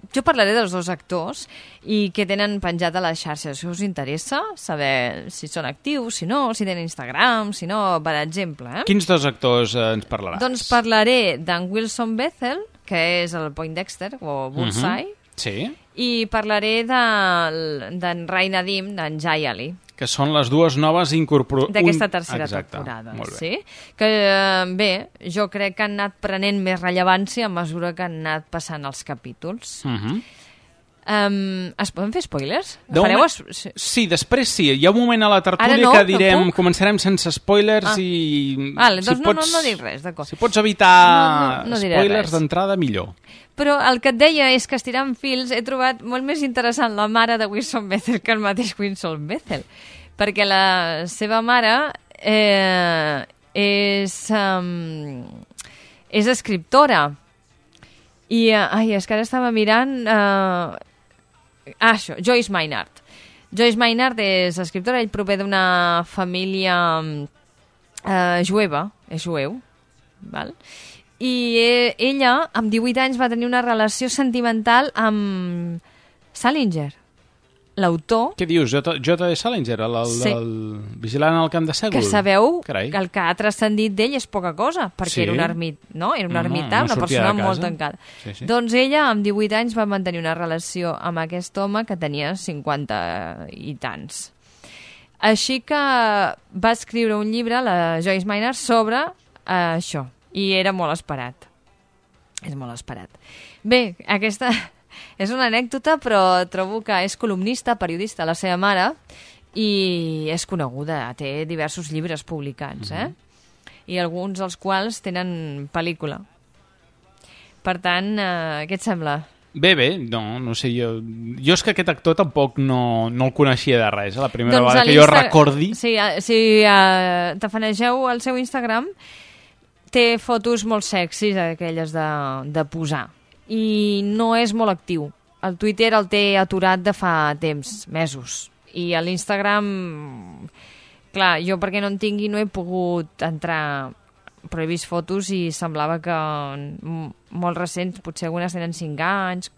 jo parlaré dels dos actors i què tenen penjat a les xarxes. Si us interessa saber si són actius, si no, si tenen Instagram, si no, per exemple. Quins dos actors ens parlaràs? Doncs parlaré d'en Wilson Bethel, que és el Poindexter, o Bullseye, sí. I parlaré d'en Ray Nadim, d'en Jay Ali. Que són les dues noves incorporades. D'aquesta tercera temporada. Sí? Que, bé, jo crec que han anat prenent més rellevància a mesura que han anat passant els capítols. Es poden fer spoilers? Sí, després sí. Hi ha un moment a la tertúlia que direm començarem sense spoilers i... Vale, doncs no dic res, d'acord. Si pots evitar spoilers d'entrada, millor. Però el que et deia és que estirant fils he trobat molt més interessant la mare de Wilson Bethel que el mateix Wilson Bethel, perquè la seva mare és escriptora i és que ara estava mirant això, Joyce Maynard. Joyce Maynard és escriptora, ell prové d'una família jueva, és jueu, val? I ella, amb 18 anys, va tenir una relació sentimental amb Salinger, l'autor... Què dius? J.D. Salinger, el vigilant al camp de Sègol? Que sabeu que el que ha transcendit d'ell és poca cosa, perquè era un ermità, una persona molt tancada. Sí. Doncs ella, amb 18 anys, va mantenir una relació amb aquest home que tenia 50 i tants. Així que va escriure un llibre, la Joyce Maynard, sobre això. I era molt esperat. És molt esperat. Bé, aquesta és una anècdota, però trobo que és columnista, periodista, la seva mare, i és coneguda, té diversos llibres publicats, i alguns dels quals tenen pel·lícula. Per tant, què et sembla? Bé, no sé, jo és que aquest actor tampoc no el coneixia de res, la primera vegada que jo recordi. Si tafanegeu el seu Instagram, té fotos molt sexis, aquelles de posar, i no és molt actiu. El Twitter el té aturat de fa temps, mesos, i a l'Instagram, clar, jo perquè no en tingui no he pogut entrar, però he vist fotos i semblava que molt recents, potser algunes tenen 5 anys,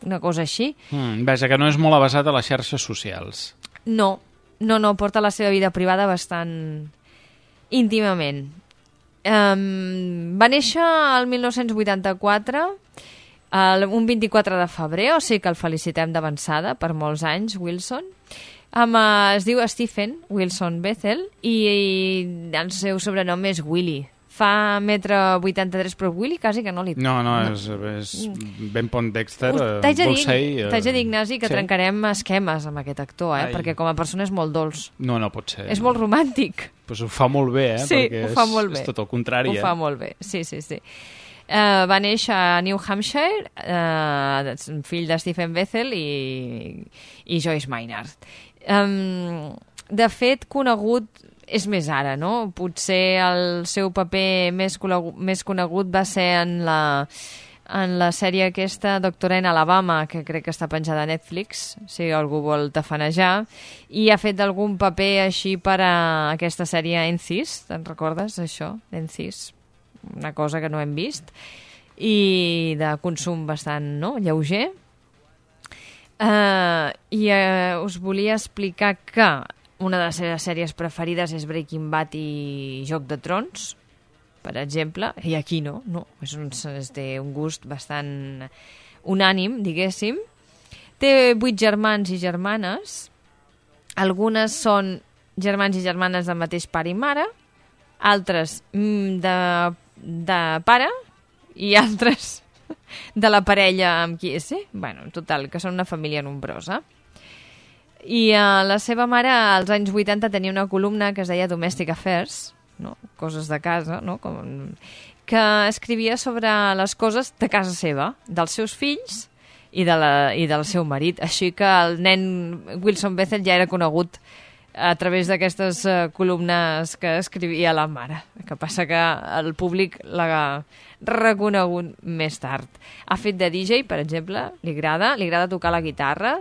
una cosa així. Vaja, que no és molt avasat a les xarxes socials. No, porta la seva vida privada bastant íntimament. Va néixer el 1984, un 24 de febrer, o sigui que el felicitem d'avançada per molts anys, Wilson. Es diu Stephen Wilson Bethel i el seu sobrenom és Willy. Fa 1,83 m, però Willy quasi que no li... No, és ben Poindexter, T'haig de dir, Ignasi, que trencarem esquemes amb aquest actor, perquè com a persona és molt dolç. No pot ser. És molt romàntic. Pues ho fa molt bé, Sí, perquè ho fa molt bé. És tot el contrari. Ho fa molt bé, sí. Va néixer a New Hampshire, fill de Stephen Bethel i Joyce Maynard. De fet, conegut és més ara, no? Potser el seu paper més conegut va ser en la sèrie aquesta, Doctora en Alabama, que crec que està penjada a Netflix, si algú vol tafanejar, i ha fet algun paper així per a aquesta sèrie Encis, te'n recordes, això? Encis, una cosa que no hem vist, i de consum bastant lleuger. Us volia explicar que una de les seves sèries preferides és Breaking Bad i Joc de Trons, per exemple, i aquí no, té un gust bastant unànim, diguéssim. Té 8 germans i germanes, algunes són germans i germanes del mateix pare i mare, altres de pare i altres de la parella amb qui és, bueno, en total, que són una família nombrosa. I la seva mare als anys 80 tenia una columna que es deia Domestic Affairs, no? Coses de casa, no? Que escrivia sobre les coses de casa seva, dels seus fills i del seu marit. Així que el nen Wilson Bethel ja era conegut a través d'aquestes columnes que escrivia la mare. Que passa que el públic l'ha reconegut més tard. Ha fet de DJ, per exemple, li agrada tocar la guitarra,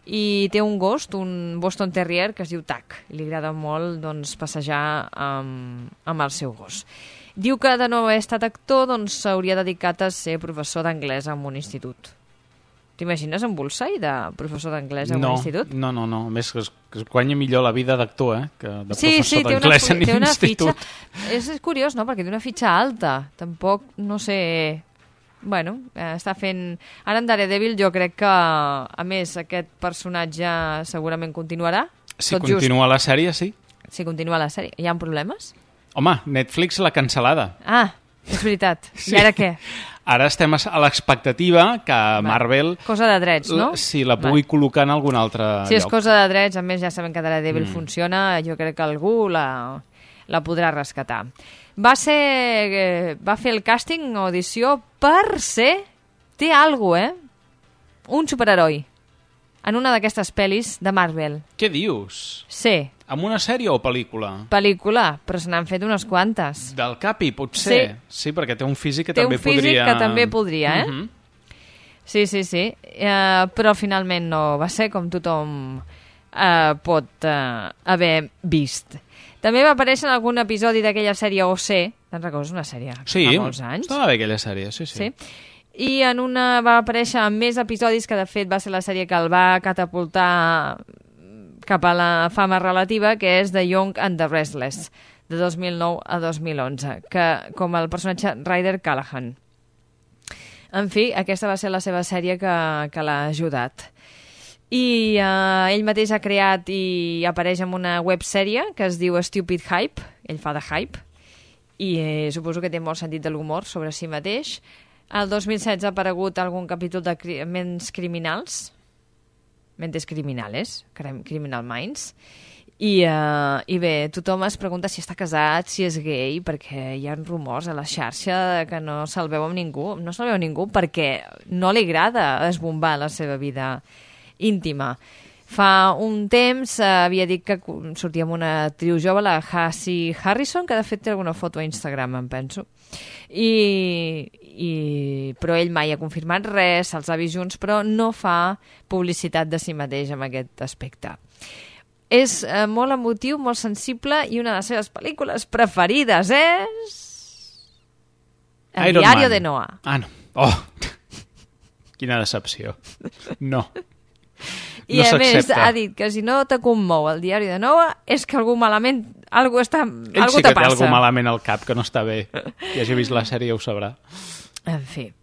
i té un gos, un Boston Terrier, que es diu Tac. Li agrada molt passejar amb el seu gos. Diu que de no haver estat actor s'hauria dedicat a ser professor d'anglès en un institut. T'imagines en Bullseye de professor d'anglès en un institut? No. A més, que es guanya millor la vida d'actor, que de professor d'anglès en un institut. És curiós, no?, perquè té una fitxa alta. Tampoc, no sé... Bueno, està fent... Ara en Daredevil jo crec que, a més, aquest personatge segurament continuarà. Si continua la sèrie, sí. Si continua la sèrie. Hi ha problemes? Home, Netflix l'ha cancel·lada. Ah, és veritat. Sí. I ara què? Ara estem a l'expectativa que Marvel... Cosa de drets, no? Si la pugui colocar en algun altre lloc. Si és cosa de drets, a més ja sabem que Daredevil funciona, jo crec que algú la podrà rescatar. Va fer el càsting o audició per ser... Té alguna cosa, un superheroi. En una d'aquestes pel·lis de Marvel. Què dius? Sí. En una sèrie o pel·lícula? Pel·lícula, però se n'han fet unes quantes. Del Capi, potser? Sí, perquè té un físic que també podria... Té un físic que també podria, Sí. Però finalment no va ser com tothom pot haver vist. També va aparèixer en algun episodi d'aquella sèrie OC, te'n recordes? Una sèrie fa molts anys. Sí, estava bé aquella sèrie, sí. I en una va aparèixer en més episodis, que de fet va ser la sèrie que el va catapultar cap a la fama relativa, que és The Young and the Restless, de 2009 a 2011, com el personatge Ryder Callahan. En fi, aquesta va ser la seva sèrie que l'ha ajudat. I ell mateix ha creat i apareix en una websèrie que es diu Stupid Hype, ell fa de hype, i suposo que té molt sentit de l'humor sobre si mateix. El 2016 ha aparegut algun capítol de Ments Criminals, Mentes Criminales, Criminal Minds, i bé, tothom es pregunta si està casat, si és gay, perquè hi ha rumors a la xarxa que no se'l veu amb ningú. No se'l veu ningú perquè no li agrada esbombar la seva vida íntima. Fa un temps havia dit que sortia amb una actriu jove, la Hashi Harrison, que de fet té alguna foto a Instagram, em penso. Però ell mai ha confirmat res, se'ls ha vist junts, però no fa publicitat de si mateix en aquest aspecte. És molt emotiu, molt sensible, i una de les seves pel·lícules preferides és... El diario de Noah. Ah, no. Oh! Quina decepció. No. I a més ha dit que si no te commou el diari de Noah és que algú malament, algú te passa. Ell sí que té algú malament al cap, que no està bé. Qui hagi vist la sèrie ho sabrà. En fi.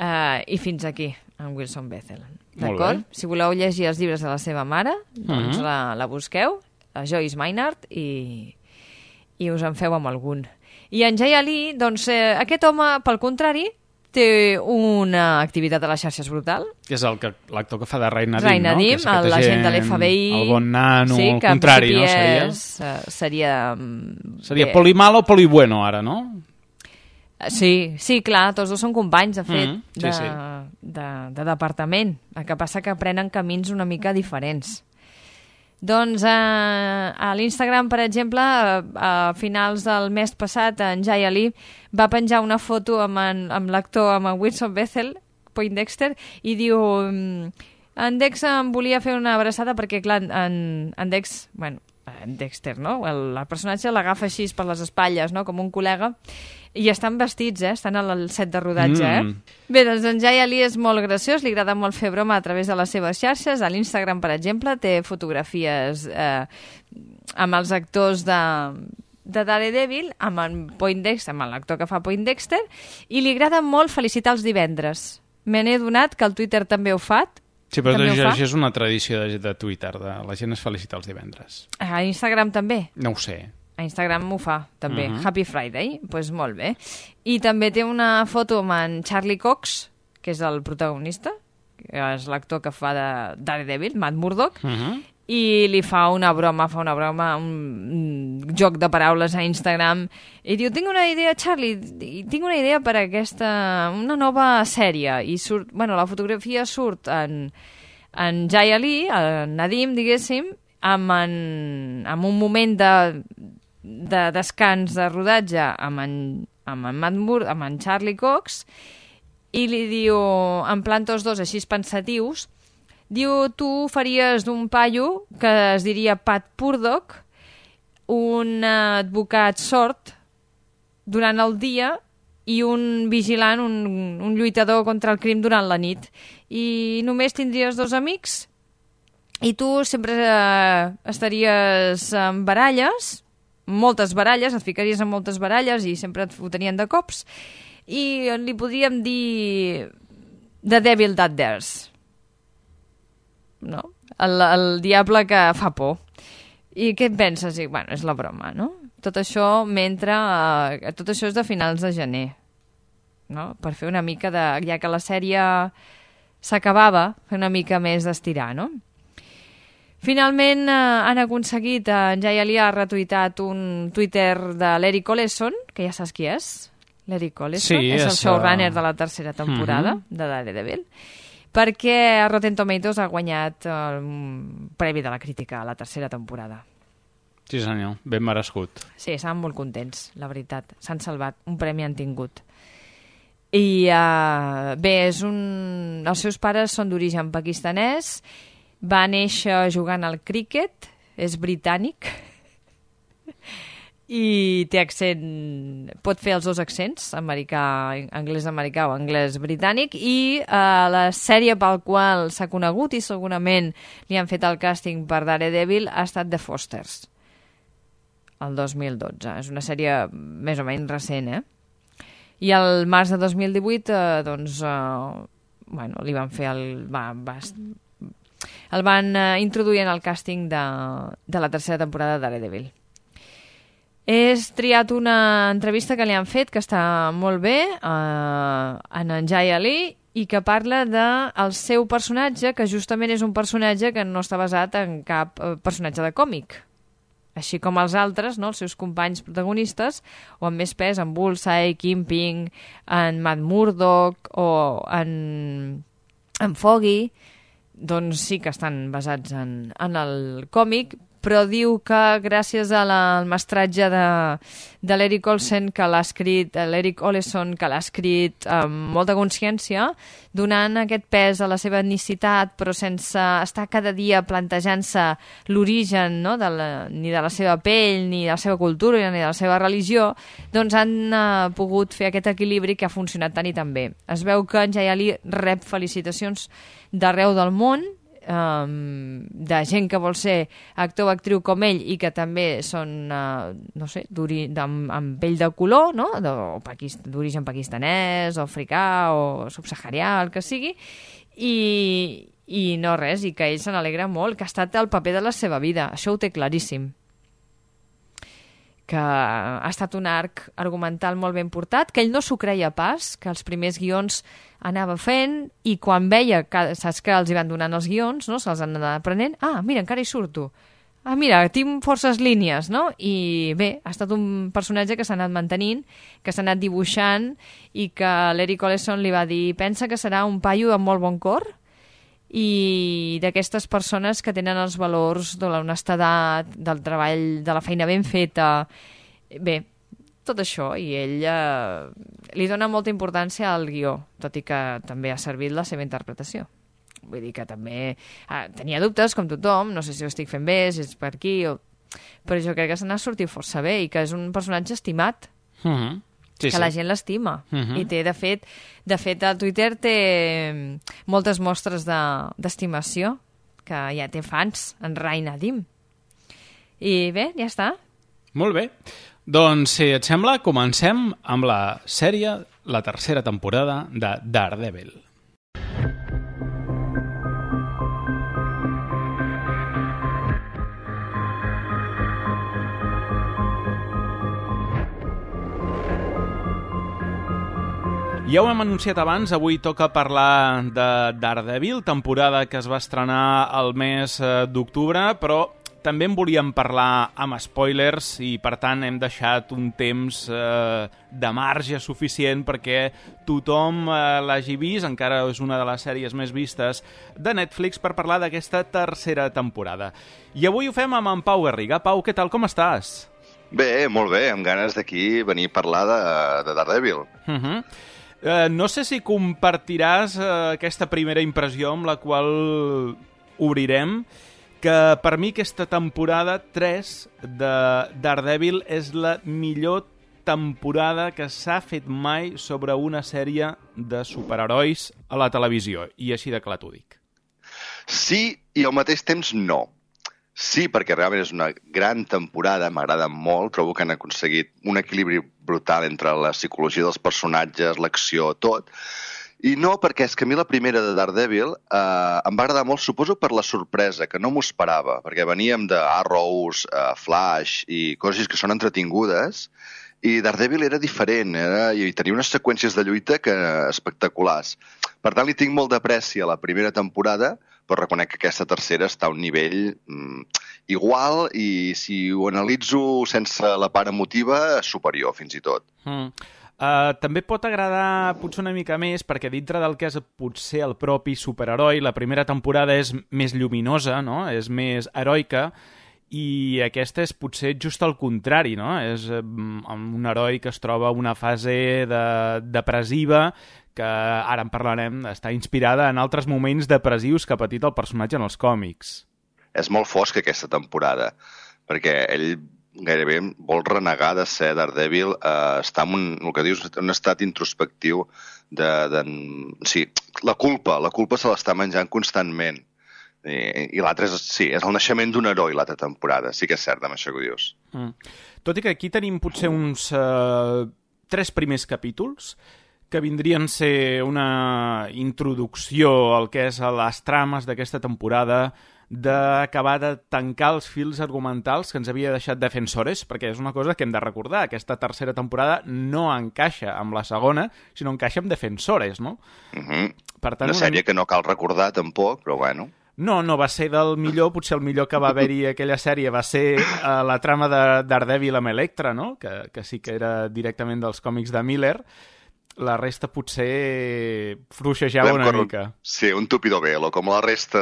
I fins aquí, en Wilson Bethel. D'acord? Si voleu llegir els llibres de la seva mare, doncs la busqueu, la Joyce Maynard, i us en feu amb algun. I en Jay Ali, doncs, aquest home, pel contrari, té una activitat a les xarxes brutal. Que és l'actor que fa de Ray Nadim, Ray Nadim, no? l'agent de l'FBI. El bon nano, sí, el contrari, no? Seria poli malo o poli bueno, ara, no? Sí, clar, tots dos són companys, de fet, de departament. El que passa que prenen camins una mica diferents. Doncs a l'Instagram, per exemple, a finals del mes passat, en Jay Ali va penjar una foto amb l'actor, amb en Wilson Bethel, Poindexter, i diu: en Dex em volia fer una abraçada perquè, clar, en Dex, bueno, en Dexter, no? El personatge l'agafa així per les espatlles, no? Com un col·lega, i estan vestits, estan al set de rodatge. Bé, doncs en Jay Ali és molt graciós, li agrada molt fer broma a través de les seves xarxes. A l'Instagram, per exemple, té fotografies amb els actors de Daredevil, amb en Poindexter, amb l'actor que fa Poindexter, i li agrada molt felicitar els divendres. Me n'he donat que el Twitter també ho fa. Sí, però això és una tradició de Twitter, la gent es felicita els divendres. A Instagram també? No ho sé. A Instagram ho fa, també. Happy Friday, doncs molt bé. I també té una foto amb en Charlie Cox, que és el protagonista, que és l'actor que fa de Daredevil, Matt Murdock, i li fa una broma, un joc de paraules a Instagram, i diu: tinc una idea, Charlie, tinc una idea per una nova sèrie, i surt, bueno, la fotografia surt en Jay Ali, en Nadim, diguéssim, amb un moment de descans de rodatge amb en Matt Murdock, amb en Charlie Cox, i li diu, en plan tots dos així pensatius, diu: tu faries d'un paio que es diria Pat Purdock, un advocat sord durant el dia i un vigilant, un lluitador contra el crim durant la nit. I només tindries dos amics i tu sempre estaries en baralles, moltes baralles, et ficaries en moltes baralles i sempre et fotenien de cops, i li podríem dir The Devil That Dares, no? El diable que fa por. I què et penses? I, bueno, és la broma, no? Tot això tot això és de finals de gener, no? Per fer una mica de... ja que la sèrie s'acabava, fer una mica més d'estirar, no? Finalment han aconseguit, en Jay Ali ha retuitat un Twitter de l'Eric Oleson, que ja saps qui és. L'Eric Oleson és el showrunner de la tercera temporada de Daredevil, perquè Rotten Tomatoes ha guanyat el premi de la crítica a la tercera temporada. Sí, senyor, ben merescut. Sí, estaven molt contents, la veritat. S'han salvat, un premi han tingut. I bé, els seus pares són d'origen pakistanès, va néixer jugant al críquet, és britànic, i té accent, pot fer els dos accents, anglès americà o anglès britànic, i la sèrie pel qual s'ha conegut i segurament li han fet el càsting per Daredevil ha estat The Fosters, el 2012. És una sèrie més o menys recent, I el març de 2018 li van fer el van introduir en el càsting de la tercera temporada de Daredevil. He triat una entrevista que li han fet, que està molt bé, en Jay Ali, i que parla del seu personatge, que justament és un personatge que no està basat en cap personatge de còmic. Així com els altres, no? Els seus companys protagonistes, o amb més pes, en Bullseye, Kingpin, en Matt Murdock o en Foggy. doncs sí que estan basats en el còmic, però diu que gràcies al mestratge de l'Eric Olson, que l'ha escrit, l'Eric Oleson, que l'ha escrit amb molta consciència, donant aquest pes a la seva etnicitat, però sense estar cada dia plantejant-se l'origen, no? Ni de la seva pell, ni de la seva cultura, ni de la seva religió, doncs han pogut fer aquest equilibri que ha funcionat tan i tan bé. Es veu que en Jaya Ali rep felicitacions d'arreu del món, de gent que vol ser actor o actriu com ell i que també són, no sé, amb pell de color, no? D'origen pakistanès o africà o subsaharià, el que sigui, i no res, i que ell se n'alegra molt, que ha estat el paper de la seva vida, això ho té claríssim, que ha estat un arc argumental molt ben portat, que ell no s'ho creia pas, que els primers guions anava fent, i quan veia, saps que els hi van donant els guions, no? Se'ls han anat aprenent, mira, encara hi surto, mira, tinc forces línies, no? I bé, ha estat un personatge que s'ha anat mantenint, que s'ha anat dibuixant, i que l'Eric Oleson li va dir, pensa que serà un paio amb molt bon cor, i d'aquestes persones que tenen els valors de l'honestedat, del treball, de la feina ben feta, bé, tot això, i ell li dona molta importància al guió, tot i que també ha servit la seva interpretació. Vull dir que també tenia dubtes, com tothom, no sé si ho estic fent bé, si és per aquí, però jo crec que se n'ha sortit força bé i que és un personatge estimat. Sí, que la gent l'estima. I té, de fet, el Twitter té moltes mostres d'estimació, que ja té fans, en Rai Nadim. I bé, ja està. Molt bé. Doncs, si et sembla, comencem amb la sèrie, la tercera temporada de Daredevil. Ja ho hem anunciat abans, avui toca parlar de Daredevil, temporada que es va estrenar el mes d'octubre, però també en volíem parlar amb spoilers i, per tant, hem deixat un temps de marge suficient perquè tothom l'hagi vist, encara és una de les sèries més vistes de Netflix, per parlar d'aquesta tercera temporada. I avui ho fem amb en Pau Garriga. Pau, què tal, com estàs? Bé, molt bé, amb ganes d'aquí venir a parlar de Daredevil. No sé si compartiràs aquesta primera impressió amb la qual obrirem, que per mi aquesta temporada 3 de Daredevil és la millor temporada que s'ha fet mai sobre una sèrie de superherois a la televisió, i així de clar t'ho dic. Sí, i al mateix temps no. Sí, perquè realment és una gran temporada, m'agrada molt, trobo que han aconseguit un equilibri brutal entre la psicologia dels personatges, l'acció, tot. I no, perquè és que a mi la primera de Daredevil em va agradar molt, suposo per la sorpresa, que no m'ho esperava, perquè veníem de Arrows, Flash i coses que són entretingudes, i Daredevil era diferent, i tenia unes seqüències de lluita espectaculars. Per tant, li tinc molt d'apreci a la primera temporada, però reconec que aquesta tercera està a un nivell igual i, si ho analitzo sense la part emotiva, superior, fins i tot. També pot agradar potser una mica més, perquè dintre del que és potser el propi superheroi, la primera temporada és més lluminosa, no? És més heroica, i aquesta és potser just al contrari, no? És un heroi que es troba en una fase depressiva, que ara en parlarem, està inspirada en altres moments depressius que ha patit el personatge en els còmics. És molt fosca aquesta temporada, perquè ell gairebé vol renegar de ser Daredevil, està en el que dius, un estat introspectiu sí, la culpa se l'està menjant constantment. I l'altre és el naixement d'un heroi, l'altra temporada. Sí que és cert amb això que ho dius. Tot i que aquí tenim potser uns 3 primers capítols que vindrien a ser una introducció al que és a les trames d'aquesta temporada, d'acabar de tancar els fils argumentals que ens havia deixat Defensores, perquè és una cosa que hem de recordar, aquesta tercera temporada no encaixa amb la segona, sinó encaixa amb Defensores, no? Per tant, una sèrie que no cal recordar tampoc, però bueno. No va ser del millor, potser el millor que va haver-hi aquella sèrie va ser la trama de Daredevil amb Elektra, no? Que sí que era directament dels còmics de Miller. La resta potser fluixejava una mica. Sí, un tupido velo, com la resta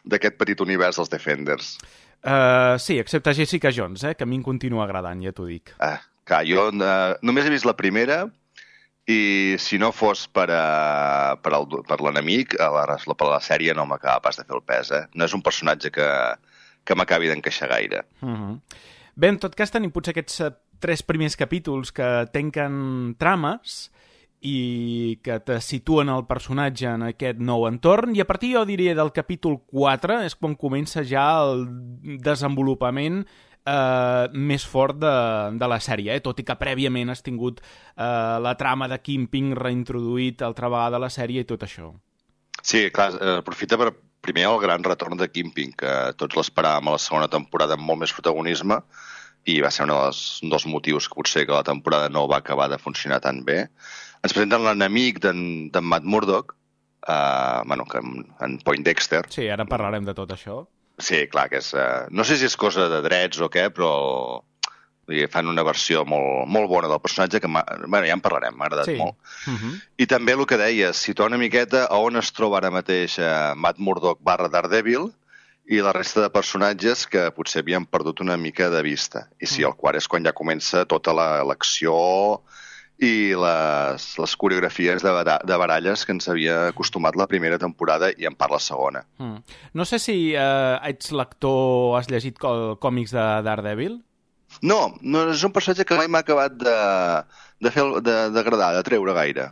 d'aquest petit univers dels Defenders. Sí, excepte Jessica Jones, que a mi em continua agradant, ja t'ho dic. Clar, jo només he vist la primera i si no fos per l'enemic, per la sèrie no m'acaba pas de fer el pes. No és un personatge que m'acabi d'encaixar gaire. Bé, en tot cas tenim potser aquests 3 primers capítols que tanquen trames i que te situen el personatge en aquest nou entorn, i a partir, jo diria, del capítol 4 és quan comença ja el desenvolupament més fort de la sèrie, tot i que prèviament has tingut la trama de Kingpin reintroduït altra vegada a la sèrie i tot això. Sí, clar, aprofita per primer el gran retorn de Kingpin, que tots l'esperàvem a la segona temporada amb molt més protagonisme, i va ser un dels motius que potser que la temporada no va acabar de funcionar tan bé. Ens presenten l'enemic d'en Matt Murdock, en Poindexter. Sí, ara parlarem de tot això. Sí, clar, que és... no sé si és cosa de drets o què, però fan una versió molt bona del personatge que ja en parlarem, m'ha agradat molt. I també el que deies, situar una miqueta a on es troba ara mateix Matt Murdock / Daredevil i la resta de personatges que potser havien perdut una mica de vista. I sí, el quart és quan ja comença tota l'acció i les coreografies de baralles que ens havia acostumat la primera temporada i en part la segona. No sé si ets lector, has llegit còmics de Daredevil? No, és un personatge que mai m'ha acabat d'agradar, de treure gaire.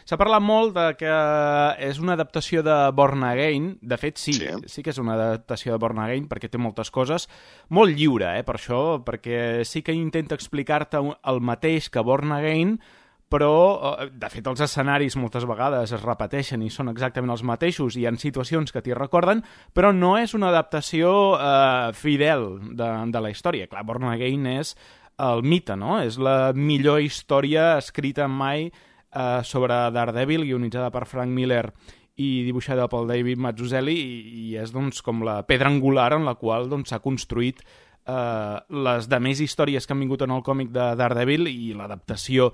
S'ha parlat molt de que és una adaptació de Born Again. De fet, sí que és una adaptació de Born Again, perquè té moltes coses. Molt lliure, per això, perquè sí que intenta explicar-te el mateix que Born Again, però, de fet, els escenaris moltes vegades es repeteixen i són exactament els mateixos, i hi ha situacions que t'hi recorden, però no és una adaptació fidel de la història. Clar, Born Again és el mite, no? És la millor història escrita mai sobre Daredevil, guionitzada per Frank Miller i dibuixada per David Mazzucchelli, i és doncs, com la pedra angular en la qual s'ha construït les demés històries que han vingut en el còmic de Daredevil, i l'adaptació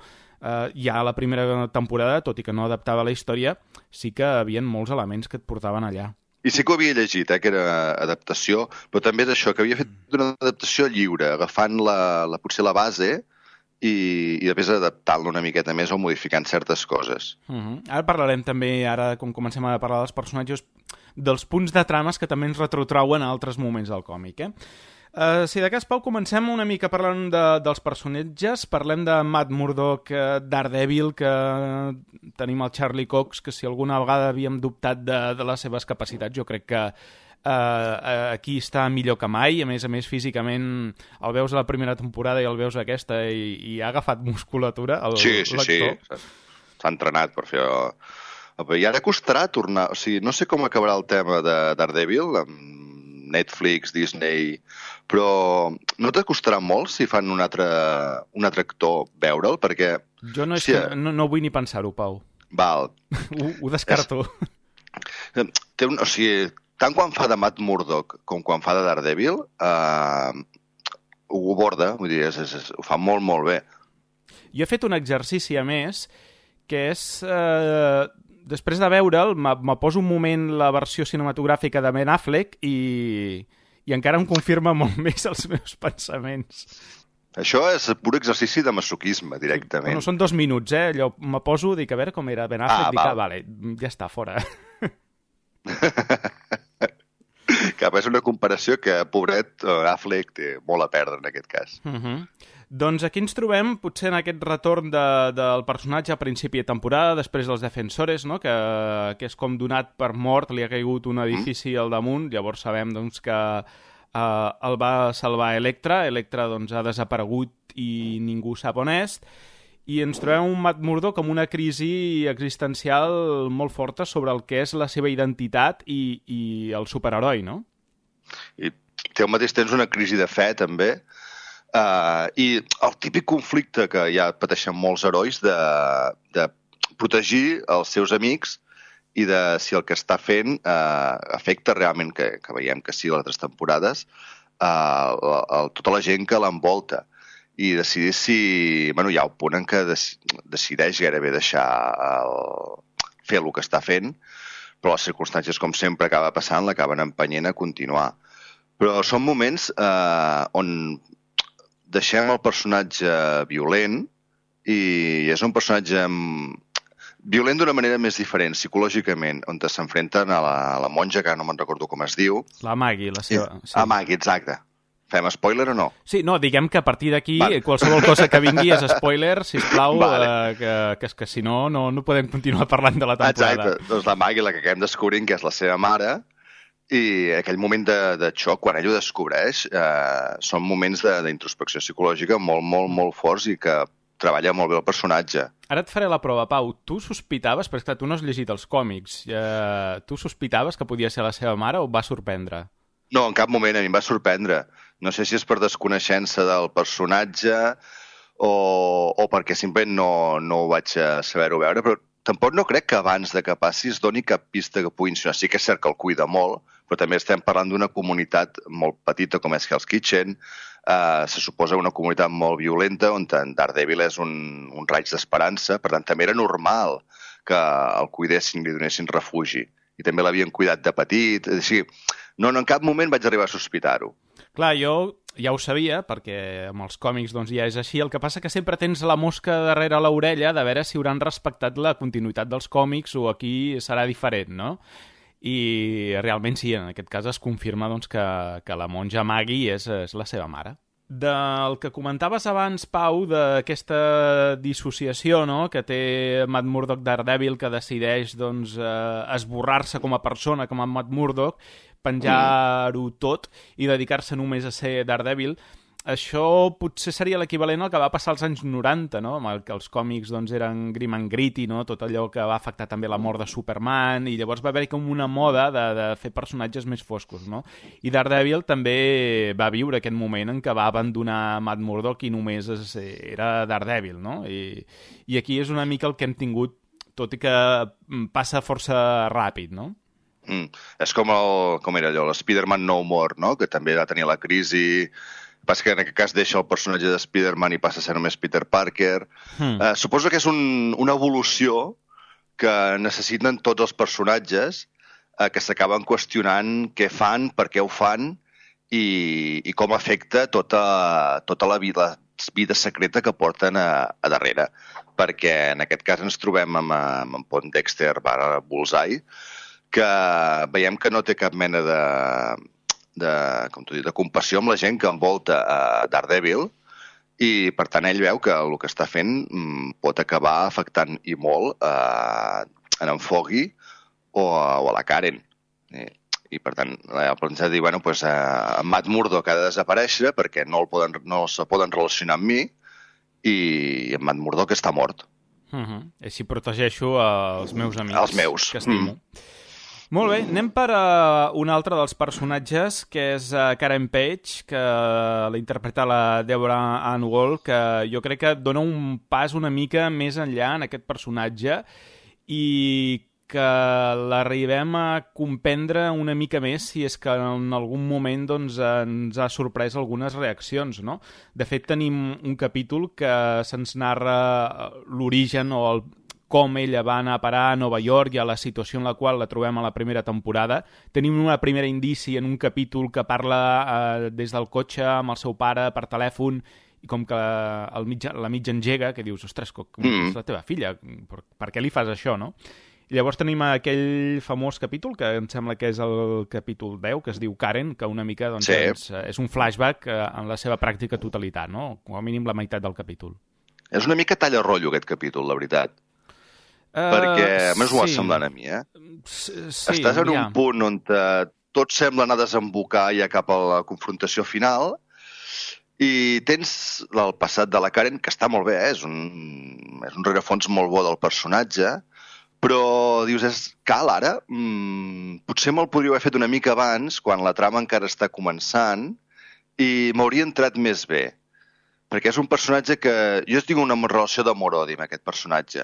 ja a la primera temporada, tot i que no adaptava la història, sí que hi havia molts elements que et portaven allà. I sí que ho havia llegit, que era adaptació, però també és això, que havia fet una adaptació lliure, agafant potser la base i després adaptant-la una miqueta més o modificant certes coses. Ara parlarem també, ara com comencem a parlar dels personatges, dels punts de trames que també ens retrotrauen a altres moments del còmic, Si de cas, Pau, comencem una mica parlant dels personatges. Parlem de Matt Murdock, Daredevil, que tenim el Charlie Cox, que si alguna vegada havíem dubtat de les seves capacitats, jo crec que aquí està millor que mai. A més, físicament el veus a la primera temporada i el veus aquesta i ha agafat musculatura, l'actor. Sí. S'ha entrenat per fer... I ara costarà tornar... O sigui, no sé com acabarà el tema de Daredevil, amb Netflix, Disney, però no t'acostarà molt si fan un altre actor veure'l, perquè... Jo no vull ni pensar-ho, Pau. Val. Ho descarto. O sigui, tant quan fa de Matt Murdock com quan fa de Daredevil, ho borda, vull dir, ho fa molt, molt bé. Jo he fet un exercici, a més, que és... Després de veure'l, me poso un moment la versió cinematogràfica de Ben Affleck i encara em confirma molt més els meus pensaments. Això és pur exercici de masoquisme, directament. Bueno, són 2 minuts, Allò me poso, dic, a veure com era Ben Affleck, vale, ja està, fora. Cap, és una comparació que, pobret, Affleck té molt a perdre en aquest cas. Doncs aquí ens trobem, potser en aquest retorn del personatge a principi de temporada, després dels Defensores, no? que és com donat per mort, li ha caigut un edifici al damunt, llavors sabem doncs, que el va salvar Elektra doncs, ha desaparegut i ningú sap on és, i ens trobem un Matt Murdock amb una crisi existencial molt forta sobre el que és la seva identitat i el superheroi, no? I té al mateix temps una crisi de fe, també, i el típic conflicte que ja pateixen molts herois de protegir els seus amics i de si el que està fent afecta realment, que veiem que sí a les altres temporades, tota la gent que l'envolta. i decidir si... Bueno, hi ha un punt en què decideix gairebé deixar fer el que està fent, però les circumstàncies, com sempre acaba passant, l'acaben empenyent a continuar. Però són moments on deixem el personatge violent i és un personatge violent d'una manera més diferent, psicològicament, on s'enfrenten a la monja, que no me'n recordo com es diu. La Maggie, la seva... Sí. A Maggie, exacte. Fem spoiler o no? Sí, no, diguem que a partir d'aquí qualsevol cosa que vingui és spoiler, sisplau, que si no, no podem continuar parlant de la temporada. Exacte, doncs la Maggie, la que acabem descobrint que és la seva mare, i aquell moment de xoc, quan ell ho descobreix, són moments d'introspecció psicològica molt, molt, molt forts i que treballa molt bé el personatge. Ara et faré la prova, Pau. Tu sospitaves, perquè tu no has llegit els còmics, tu sospitaves que podia ser la seva mare o et va sorprendre? No, en cap moment, a mi em va sorprendre. No sé si és per desconeixença del personatge o perquè simplement no ho vaig saber-ho veure, però tampoc no crec que abans de que passi es doni cap pista que pugui insinuar. Sí que és cert que el cuida molt, però també estem parlant d'una comunitat molt petita com és Hell's Kitchen, se suposa una comunitat molt violenta on en Daredevil és un raig d'esperança, per tant també era normal que el cuidessin i li donessin refugi. I també l'havien cuidat de petit, és així. No, en cap moment vaig arribar a sospitar-ho. Clar, jo ja ho sabia, perquè amb els còmics doncs, ja és així. El que passa que sempre tens la mosca darrere l'orella de veure si hauran respectat la continuïtat dels còmics o aquí serà diferent, no? I realment sí, en aquest cas es confirma doncs, que la monja Maggie és la seva mare. Del que comentaves abans, Pau, d'aquesta dissociació, no?, que té Matt Murdock Daredevil, que decideix doncs, esborrar-se com a persona, com a Matt Murdock, penjar-ho tot i dedicar-se només a ser Daredevil. Això potser seria l'equivalent al que va passar als anys 90, no?, amb el que els còmics doncs, eren grim and gritty, no?, tot allò que va afectar també la mort de Superman, i llavors va haver-hi com una moda de fer personatges més foscos, no? I Daredevil també va viure aquest moment en què va abandonar Matt Murdock i només era Daredevil, no? I aquí és una mica el que hem tingut, tot i que passa força ràpid, no? És com era allò, l'Spider-Man No More, no?, que també va tenir la crisi... Passa que en aquest cas deixa el personatge de Spider-Man i passa a ser només Peter Parker. Suposo que és una evolució que necessiten tots els personatges que s'acaben qüestionant què fan, per què ho fan i com afecta tota la vida secreta que porten a darrere. Perquè en aquest cas ens trobem amb Pont Dexter / Bullseye, que veiem que no té cap mena de compassió amb la gent que envolta a Daredevil i, per tant, ell veu que el que està fent pot acabar afectant i molt en en Foggy o a la Karen. I, per tant, el pensat dir, bueno, pues, Matt Murdock ha de desaparèixer perquè no se poden relacionar amb mi i en Matt Murdock està mort. Així protegeixo els meus amics. Els meus. Que estimo. Molt bé, anem per un altre dels personatges, que és Karen Page, que la interpreta la Deborah Ann Woll, que jo crec que dona un pas una mica més enllà en aquest personatge i que l'arribem a comprendre una mica més si és que en algun moment doncs, ens ha sorprès algunes reaccions, no? De fet, tenim un capítol que se'ns narra l'origen o com ella va anar a parar a Nova York i a la situació en la qual la trobem a la primera temporada. Tenim una primera indici en un capítol que parla des del cotxe amb el seu pare per telèfon i com que la mitja engega, que dius, ostres, és la teva filla, per què li fas això, no? I llavors tenim aquell famós capítol, que em sembla que és el capítol 10, que es diu Karen, que una mica doncs, és un flashback en la seva pràctica totalitat, no? Com a mínim la meitat del capítol. És una mica talla rotllo aquest capítol, la veritat. Perquè, a més, ho va semblant a mi, Estàs en un punt on tot sembla anar a desembocar ja cap a la confrontació final i tens el passat de la Karen, que està molt bé, és un rerefons molt bo del personatge, però dius, cal ara? Potser me'l podria haver fet una mica abans, quan la trama encara està començant, i m'hauria entrat més bé. Perquè és un personatge que... Jo tinc una relació d'amor-odi amb aquest personatge.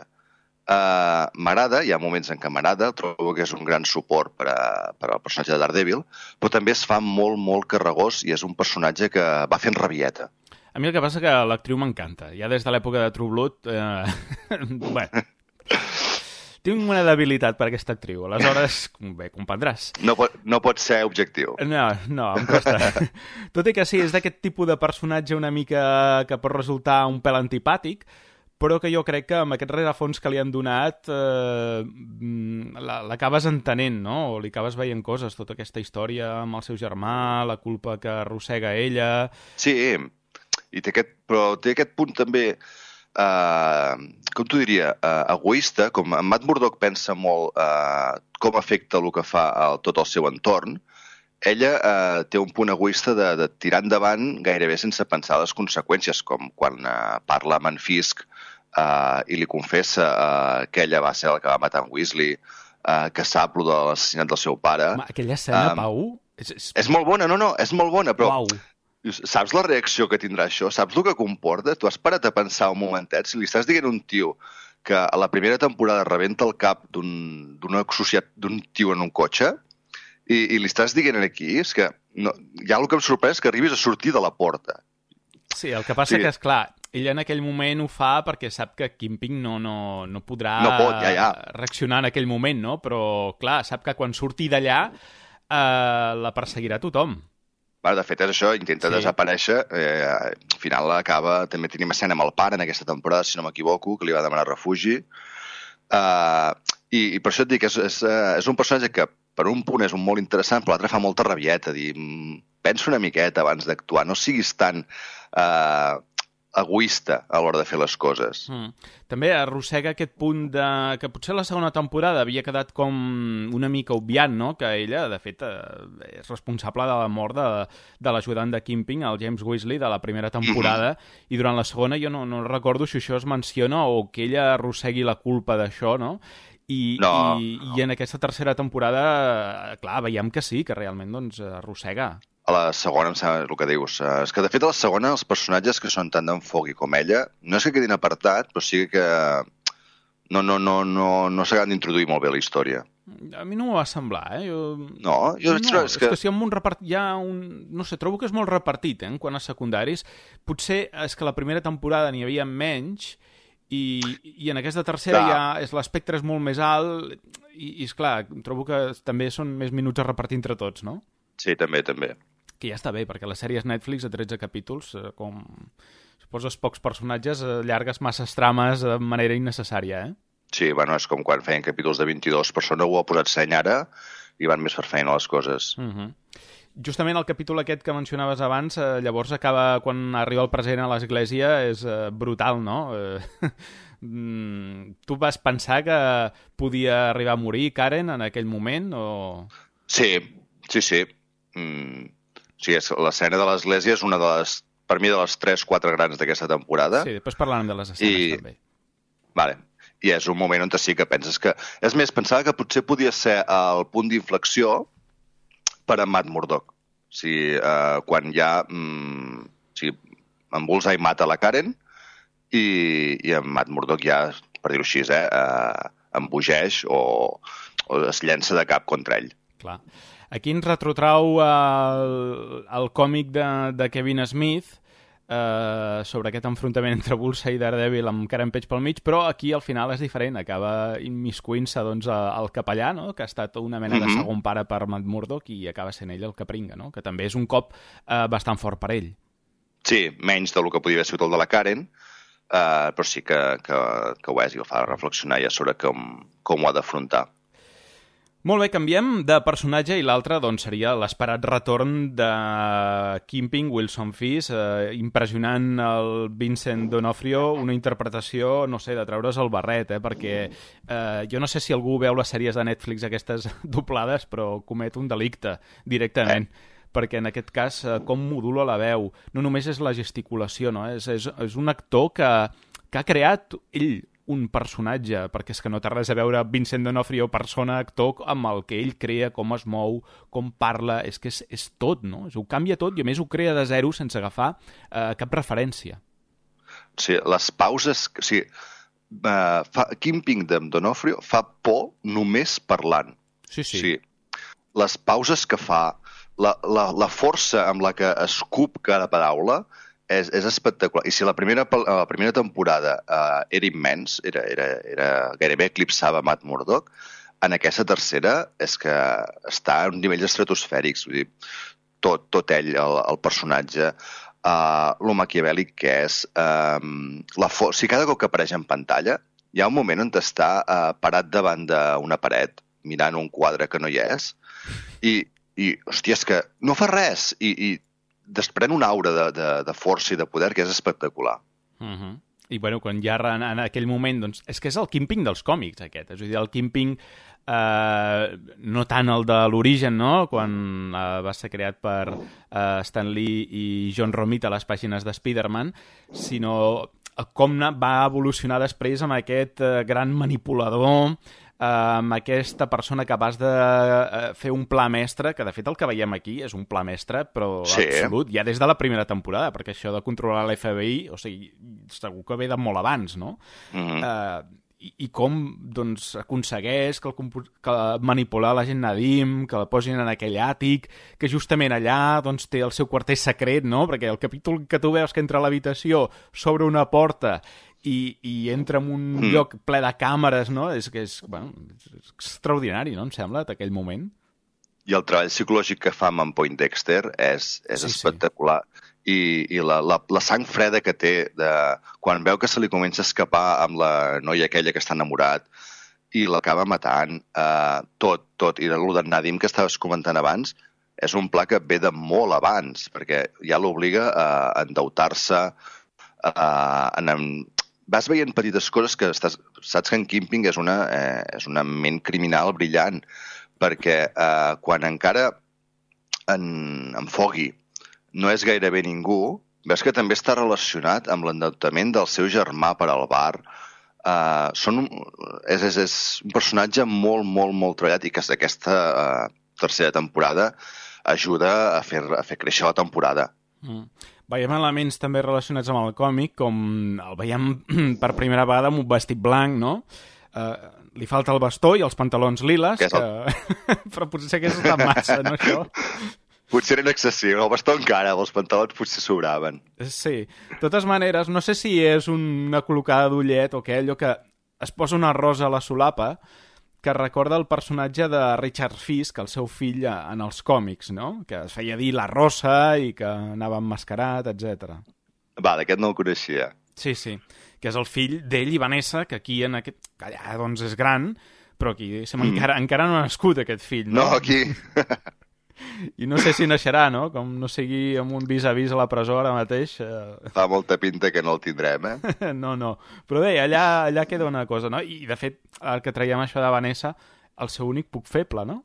M'agrada, hi ha moments en què m'agrada, trobo que és un gran suport per al personatge de Daredevil, però també es fa molt, molt carregós i és un personatge que va fent rabieta. A mi el que passa que l'actriu m'encanta. Ja des de l'època de True Blood... Bueno, tinc una debilitat per aquesta actriu. Aleshores, bé, comprendràs. No pot ser objectiu. No, em costa. Tot i que sí, és d'aquest tipus de personatge una mica que pot resultar un pèl antipàtic, però que jo crec que amb aquest rerefons que li han donat l'acabes entenent, no? O li acabes veient coses, tota aquesta història amb el seu germà, la culpa que arrossega ella... Sí, però té aquest punt també, com t'ho diria, egoista, com en Matt Murdock pensa molt com afecta el que fa tot el seu entorn, ella té un punt egoista de tirar endavant gairebé sense pensar les conseqüències, com quan parla amb en Fisk i li confessa que ella va ser el que va matar en Weasley, que sap lo de l'assassinat del seu pare. Home, aquella escena, Pau... És molt bona, és molt bona, però Uau. Saps la reacció que tindrà això? Saps el que comporta? Tu has parat a pensar un momentet, si li estàs dient a un tio que a la primera temporada rebenta el cap d'un tio en un cotxe i li estàs dient aquí, és que ja el que em sorprèn és que arribis a sortir de la porta. Sí, el que passa que, esclar, ell en aquell moment ho fa perquè sap que Kingpin no podrà reaccionar en aquell moment, no? Però, clar, sap que quan surti d'allà la perseguirà tothom. De fet, és això, intenta desaparèixer. Al final acaba... També tenim escena amb el pare en aquesta temporada, si no m'equivoco, que li va demanar refugi. I per això et dic que és un personatge que per un punt és un molt interessant, però l'altre fa molta rabieta, dir, pensa una miqueta abans d'actuar, no siguis tan egoista a l'hora de fer les coses. També arrossega aquest punt de que potser la segona temporada havia quedat com una mica obviant, no? Que ella, de fet, és responsable de la mort de l'ajudant de Kingpin, el James Weasley, de la primera temporada, i durant la segona jo no recordo si això es menciona o que ella arrossegui la culpa d'això, no? I en aquesta tercera temporada, clar, veiem que sí, que realment doncs, arrossega. A la segona, em sembla el que dius. És que, de fet, a la segona, els personatges que són tant d'enfoc com ella, no és que quedin apartat, però sí que no s'acaben d'introduir molt bé a la història. A mi no m'ho va semblar, eh? És que si amb un repartit hi ha un... No sé, trobo que és molt repartit, en quant a secundaris. Potser és que la primera temporada n'hi havia menys i en aquesta tercera l'espectre és molt més alt i esclar, trobo que també són més minuts a repartir entre tots, no? Sí, també. Que ja està bé, perquè les sèries Netflix de 13 capítols, com si poses pocs personatges, llargues masses trames de manera innecessària, eh? Sí, bueno, és com quan feien capítols de 22 persones, ho ha posat seny ara i van més per feina les coses. Justament el capítol aquest que mencionaves abans, llavors acaba quan arriba el present a l'església, és brutal, no? Tu vas pensar que podia arribar a morir Karen en aquell moment? O... Sí. Sí, l'escena de l'església és una de les, per mi, de les 3-4 grans d'aquesta temporada. Sí, després parlarem de les escenes també. Vale. I és un moment on sí que penses que... És més, pensava que potser podia ser el punt d'inflexió per a Matt Murdock. Quan ja en Bullseye mata la Karen i en Matt Murdock ja, per dir-ho així, embogeix o es llença de cap contra ell. Clar. Aquí ens retrotrau el còmic de Kevin Smith sobre aquest enfrontament entre Bullseye i Daredevil amb Karen Page pel mig, però aquí al final és diferent, acaba immiscuint-se doncs, el capellà, no? Que ha estat una mena de segon pare per Matt Murdock i acaba sent ell el que pringa, no? Que també és un cop bastant fort per ell. Sí, menys del que podia haver sigut el de la Karen, però sí que ho és i el fa reflexionar ja sobre com ho ha d'afrontar. Molt bé, canviem de personatge i l'altre doncs, seria l'esperat retorn de Kingpin, Wilson Fisk, impressionant el Vincent D'Onofrio, una interpretació, no sé, de treure's el barret, perquè jo no sé si algú veu les sèries de Netflix aquestes doblades, però comet un delicte directament. Perquè en aquest cas, com modula la veu, no només és la gesticulació, no? És un actor que ha creat ell un personatge, perquè és que no té res a veure Vincent D'Onofrio, persona, actor, amb el que ell crea, com es mou, com parla, és que és tot, no? Ho canvia tot i a més ho crea de zero sense agafar cap referència. Sí, les pauses... Kingpin D'Onofrio fa por només parlant. Sí. Les pauses que fa, la força amb la que escup cada paraula és espectacular. I si la primera temporada era immens, era gairebé eclipsava Matt Murdock, en aquesta tercera és que està a un nivell estratosfèrics. Vull dir, tot ell, el personatge, lo maquiavèlic que és, si cada cop que apareix en pantalla hi ha un moment on està parat davant d'una paret mirant un quadre que no hi és i hòstia, és que no fa res i desprèn una aura de força i de poder que és espectacular. I bueno, quan ja en aquell moment, doncs, és que és el Kingpin dels còmics aquest, és a dir, el Kingpin no tant el de l'origen, no? Quan va ser creat per Stan Lee i John Romita a les pàgines de Spider-Man, sinó com va evolucionar després amb aquest gran manipulador, amb aquesta persona capaç de fer un pla mestre, que de fet el que veiem aquí és un pla mestre, però absolut, ja des de la primera temporada, perquè això de controlar l'FBI, o sigui, segur que ve de molt abans, no? I com doncs, aconsegueix que manipular la gent Nadim, que la posin en aquell àtic, que justament allà doncs, té el seu quarter secret, no? Perquè el capítol que tu veus que entra a l'habitació s'obre una porta i entra en un lloc ple de càmeres, no? És extraordinari, no? Em sembla, d'aquell moment. I el treball psicològic que fa amb Poindexter és espectacular. I la sang freda que té quan veu que se li comença a escapar amb la noia aquella que està enamorat i l'acaba matant, tot. I el de Nadim que estaves comentant abans és un pla que ve de molt abans, perquè ja l'obliga a endeutar-se, vas veient petites coses que saps que en Kingpin és una ment criminal brillant, perquè quan encara en Foggy no és gairebé ningú, veus que també està relacionat amb l'endeutament del seu germà per al bar. És un personatge molt, molt, molt treballat i que aquesta tercera temporada ajuda a fer créixer la temporada. Veiem elements també relacionats amb el còmic, com el veiem per primera vegada amb un vestit blanc, no? Li falta el bastó i els pantalons liles, però potser que és tan massa, no, això? Potser eren excessius, el bastó encara, els pantalons potser sobraven. Sí. De totes maneres, no sé si és una col·locada d'ullet o què, allò que es posa una rosa a la solapa que recorda el personatge de Richard Fisk, el seu fill en els còmics, no? Que es feia dir la Rosa i que anava emmascarat, etc. Aquest no el coneixia. Sí, que és el fill d'ell i Vanessa, que aquí en aquest... que allà doncs és gran, però aquí encara no ha nascut aquest fill, no? No, aquí... I no sé si naixerà, no? Com no sigui amb un vis-a-vis a la presó ara mateix. Fa molta pinta que no el tindrem, No. Però bé, allà queda una cosa, no? I, de fet, el que traiem això de Vanessa, el seu únic punt feble, no?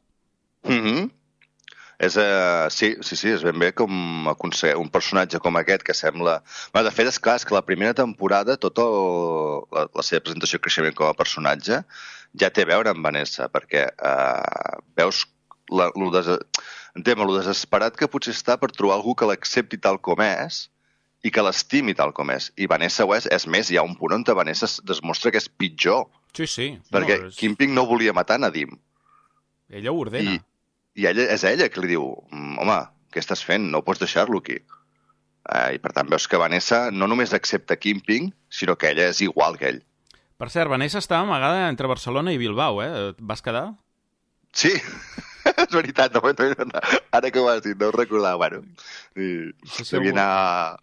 Sí, és ben bé com aconseguir un personatge com aquest que sembla... De fet, és clar, és que la primera temporada, tota la seva presentació i creixement com a personatge ja té a veure amb Vanessa, perquè veus lo desesperat que potser està per trobar algú que l'accepti tal com és i que l'estimi tal com és. I Vanessa ho és. És més, hi ha un punt on Vanessa es demostra que és pitjor. Sí. Perquè Kingpin no volia matar Nadim. Ella ho ordena. I és ella que li diu, home, què estàs fent? No pots deixar-lo aquí. I per tant veus que Vanessa no només accepta Kingpin, sinó que ella és igual que ell. Per cert, Vanessa estava amagada entre Barcelona i Bilbao, Et vas quedar? Sí, és veritat, ara que ho has dit, no ho recordava, bueno. Devia anar...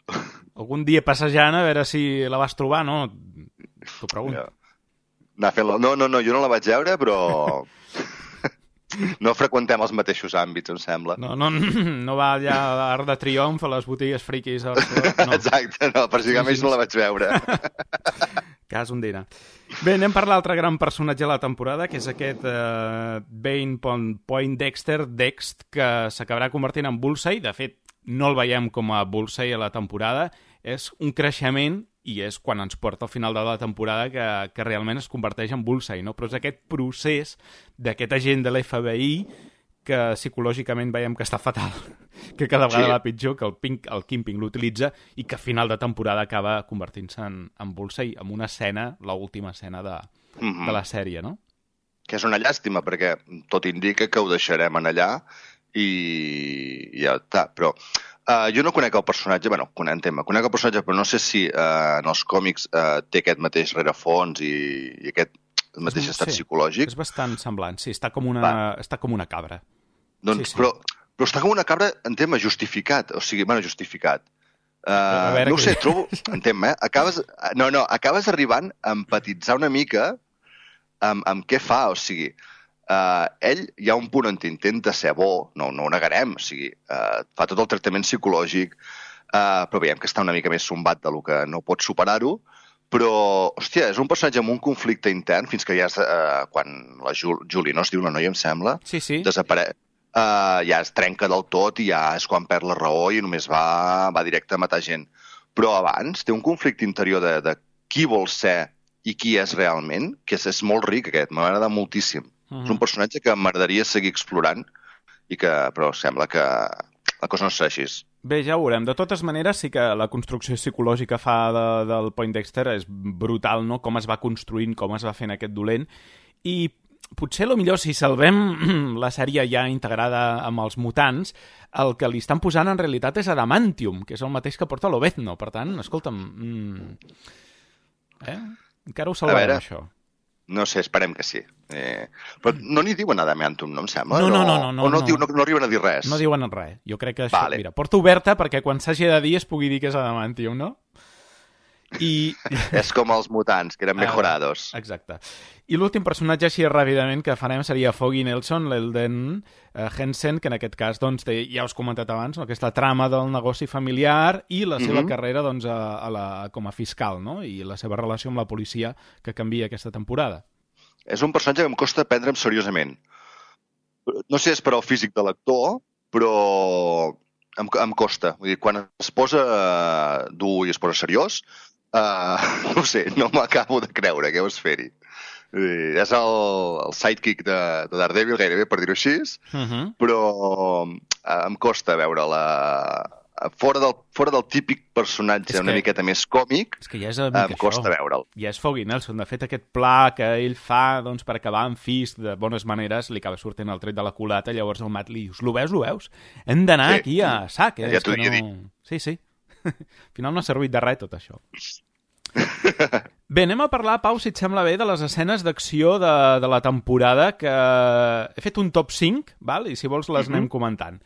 Algun dia passejant a veure si la vas trobar, no? T'ho pregunto. No, jo no la vaig veure, però... No freqüentem els mateixos àmbits, em sembla. No va allà a l'Arc de Triomf, a les botigues friquis a Barcelona. No. Exacte, no, per si més no la vaig veure. Cas un dia. Bé, anem per l'altre gran personatge de la temporada, que és aquest Bane Poindexter, Dext, que s'acabarà convertint en Bullseye. De fet, no el veiem com a Bullseye a la temporada. És un creixement i és quan ens porta al final de la temporada que realment es converteix en Bullseye, no? Però és aquest procés d'aquest agent de l'FBI que psicològicament veiem que està fatal, que cada vegada va pitjor, que el Kingpin l'utilitza i que a final de temporada acaba convertint-se en Bullseye, amb una escena, l'última escena de la sèrie, no? Que és una llàstima, perquè tot indica que ho deixarem en allà i ja està. Però Jo no conec el personatge, conec el personatge, però no sé si en els còmics té aquest mateix rerefons i aquest mateix estat psicològic. És bastant semblant, sí, està com una cabra. Doncs, sí. Però està com una cabra en tema justificat, o sigui, justificat. No ho sé, trobo, en tema, acabes arribant a empatitzar una mica amb què fa, o sigui, ell hi ha un punt on intenta ser bo, no ho negarem, o sigui, fa tot el tractament psicològic, però veiem que està una mica més sombat de lo que no pot superar-ho, però, hòstia, és un personatge amb un conflicte intern, fins que ja és, quan la Julie, no es diu la noia, em sembla, desapareix, ja es trenca del tot i ja és quan perd la raó i només va directe a matar gent. Però abans té un conflicte interior de qui vol ser i qui és realment, que és molt ric aquest, m'agrada moltíssim. És un personatge que m'agradaria seguir explorant, però sembla que la cosa no serà així. Bé, ja ho veurem. De totes maneres, sí que la construcció psicològica del Poindexter és brutal, no? Com es va construint, com es va fent aquest dolent. I potser, millor, si salvem la sèrie ja integrada amb els mutants, el que li estan posant en realitat és adamantium, que és el mateix que porta l'Obezno. Per tant, escolta'm... Encara ho salvarem, això. No sé, esperem que sí. Però no n'hi diuen adamantium, no em sembla? No. O no arriben a dir res? No diuen res. Jo crec que això... Mira, porta oberta perquè quan s'hagi de dir es pugui dir que és adamantium, no? És com els mutants, que eren mejorados. Exacte. I l'últim personatge així ràpidament que farem seria Foggy Nelson, l'Elden Hensen, que en aquest cas, doncs, ja us he comentat abans, no? Aquesta trama del negoci familiar i la seva carrera doncs, com a fiscal, no? I la seva relació amb la policia que canvia aquesta temporada. És un personatge que em costa prendre'm seriosament. No sé si és per al físic de l'actor, però em costa. Vull dir, quan es posa dur i es posa seriós, no sé, no m'acabo de creure què vas fer-hi. És el sidekick de Daredevil, gairebé, per dir-ho així, però em costa veure-la fora del típic personatge una miqueta més còmic, és que ja és em costa veure'l. Ja és Foggy Nelson. De fet, aquest pla que ell fa doncs, per acabar amb Fisk de bones maneres li acaba sortint el tret de la culata, llavors el Matt li dius, lo veus? Hem d'anar aquí a sac. Ja t'ho havia dit. Sí. Al final no ha servit de res tot això. Bé, anem a parlar, Pau, si et sembla bé, de les escenes d'acció de la temporada, que he fet un top 5, val? I si vols les anem comentant.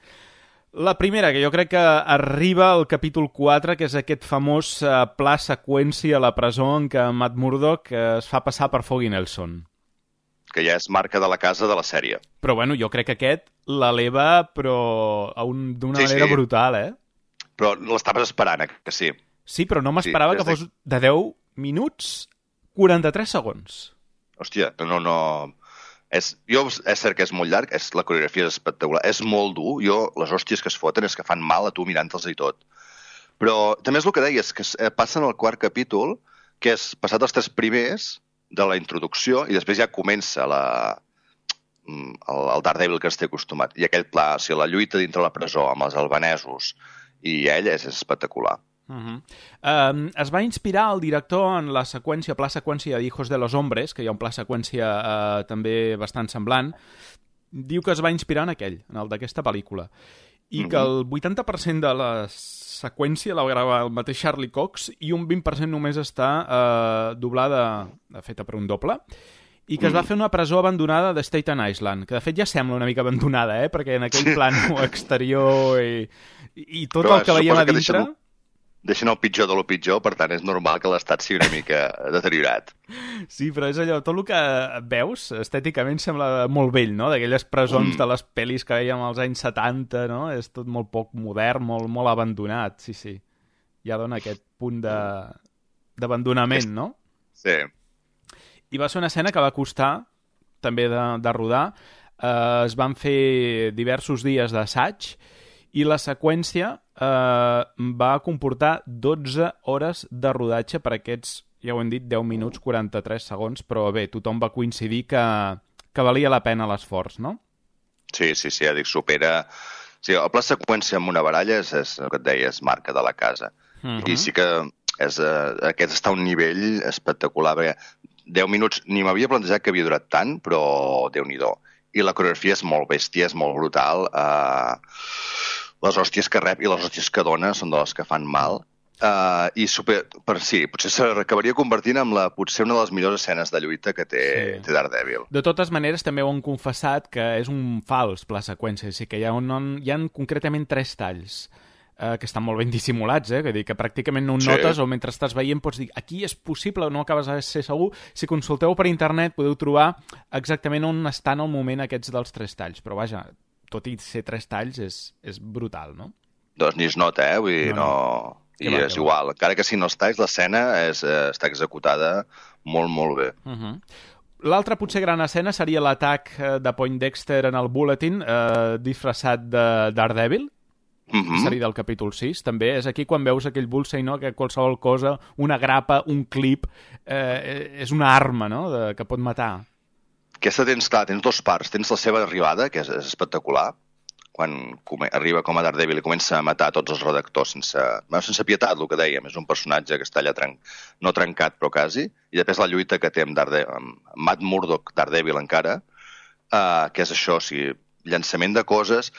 La primera, que jo crec que arriba al capítol 4, que és aquest famós pla seqüència a la presó en què Matt Murdock es fa passar per Foggy Nelson. Que ja és marca de la casa de la sèrie. Però bueno, jo crec que aquest l'eleva, però d'una manera brutal, Però l'estaves esperant, que sí. Sí, però no m'esperava que fos de 10 minuts 43 segons. Hòstia, no... És cert que és molt llarg, la coreografia és espectacular, és molt dur, les hòsties que es foten és que fan mal a tu mirant-te'ls i tot. Però també és el que deies, que passen al quart capítol, que és passat els 3 primers de la introducció i després ja comença el Daredevil que es té acostumat. I aquell pla, o sigui, la lluita dintre la presó amb els albanesos i ell és espectacular. Es va inspirar el director en la seqüència, pla seqüència de Hijos de los Hombres, que hi ha un pla seqüència també bastant semblant. Diu que es va inspirar en aquell, en el d'aquesta pel·lícula, i que el 80% de la seqüència la grava el mateix Charlie Cox i un 20% només està doblada, feta per un doble, i que es va fer una presó abandonada de Staten Island, que de fet ja sembla una mica abandonada, perquè en aquell plano exterior i tot el que veiem a dintre... Deixen el pitjor de lo pitjor, per tant és normal que l'estat sigui una mica deteriorat. Sí, però és allò, tot el que veus estèticament sembla molt vell, no? D'aquelles presons de les pel·lis que veiem als anys 70, no? És tot molt poc modern, molt abandonat, sí. Ja dona aquest punt d'abandonament, no? Sí. I va ser una escena que va costar també de rodar. Es van fer diversos dies d'assaig i la seqüència va comportar 12 hores de rodatge per aquests, ja ho hem dit, 10 minuts 43 segons, però bé, tothom va coincidir que valia la pena l'esforç, no? Sí, ja dic, supera... Sí, el pla seqüència amb una baralla és el que et deia, és marca de la casa. I sí que aquest està a un nivell espectacular, perquè 10 minuts ni m'havia plantejat que havia durat tant, però Déu-n'hi-do. I la coreografia és molt bèstia, és molt brutal. les hòsties que rep i les hòsties que dona són de les que fan mal. Potser s'acabaria convertint en potser una de les millors escenes de lluita que té Daredevil. De totes maneres, també ho han confessat que és un fals pla seqüència, és a dir, que hi ha concretament 3 talls que estan molt ben dissimulats, que dir que pràcticament no ho notes, o mentre estàs veient pots dir aquí és possible o no acabes de ser segur. Si consulteu per internet podeu trobar exactament on estan al moment aquests dels 3 talls, però vaja, tot i ser 3 talls és brutal, no? Doncs ni es nota, vull dir, no... I és igual, encara que siguin els talls, l'escena està executada molt, molt bé. L'altra potser gran escena seria l'atac de Poindexter en el Bulletin disfressat de Daredevil, seria del capítol 6, també és aquí quan veus aquell Bullseye, no? Que qualsevol cosa, una grapa, un clip, és una arma, no? Que pot matar. Aquesta tens 2 parts, tens la seva arribada, que és espectacular, quan arriba com a Daredevil i comença a matar tots els redactors sense pietat, el que dèiem, és un personatge que està allà no trencat però quasi, i després la lluita que té amb Matt Murdock, Daredevil encara, que és això, llançament de coses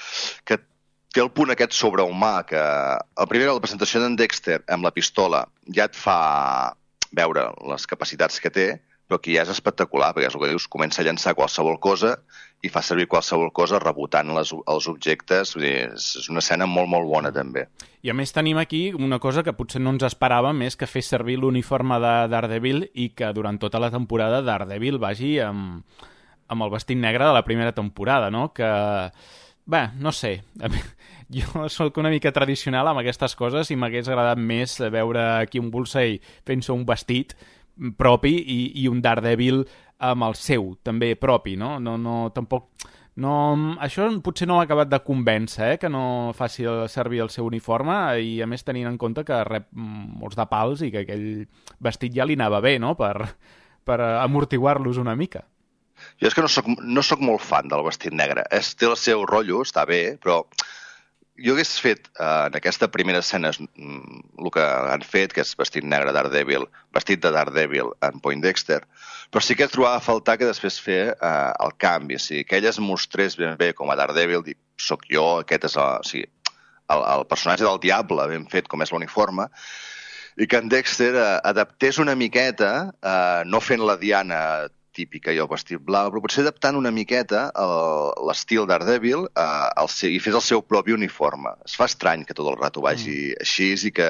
que té el punt aquest sobrehumà que la presentació d'en Dexter amb la pistola ja et fa veure les capacitats que té, però aquí ja és espectacular, perquè és el que dius, comença a llançar qualsevol cosa i fa servir qualsevol cosa rebotant els objectes. Vull dir, és una escena molt, molt bona, també. I a més tenim aquí una cosa que potser no ens esperàvem, més que fer servir l'uniforme de Daredevil i que durant tota la temporada Daredevil vagi amb el vestit negre de la primera temporada, no? Que, bé, no sé, jo soc una mica tradicional amb aquestes coses i m'hagués agradat més veure aquí un Bullseye fent-se un vestit propi i un Daredevil amb el seu, també propi, no? Tampoc... Això potser no m'ha acabat de convèncer, que no faci servir el seu uniforme i, a més, tenint en compte que rep molts de pals i que aquell vestit ja li anava bé, no?, per amortiguar-los una mica. Jo és que no soc molt fan del vestit negre. Té el seu rotllo, està bé, però jo hagués fet en aquesta primera escena el que han fet, que és vestit negre Daredevil, vestit de Daredevil en Poindexter, però sí que trobava a faltar que després fer el canvi, que ell es mostrés ben bé com a Daredevil, dic, soc jo, aquest és el personatge del diable ben fet com és l'uniforme, i que en Dexter adaptés una miqueta, no fent la Diana típica i el vestit blau, però potser adaptant una miqueta l'estil Daredevil i fes el seu propi uniforme. Es fa estrany que tot el rato vagi així i que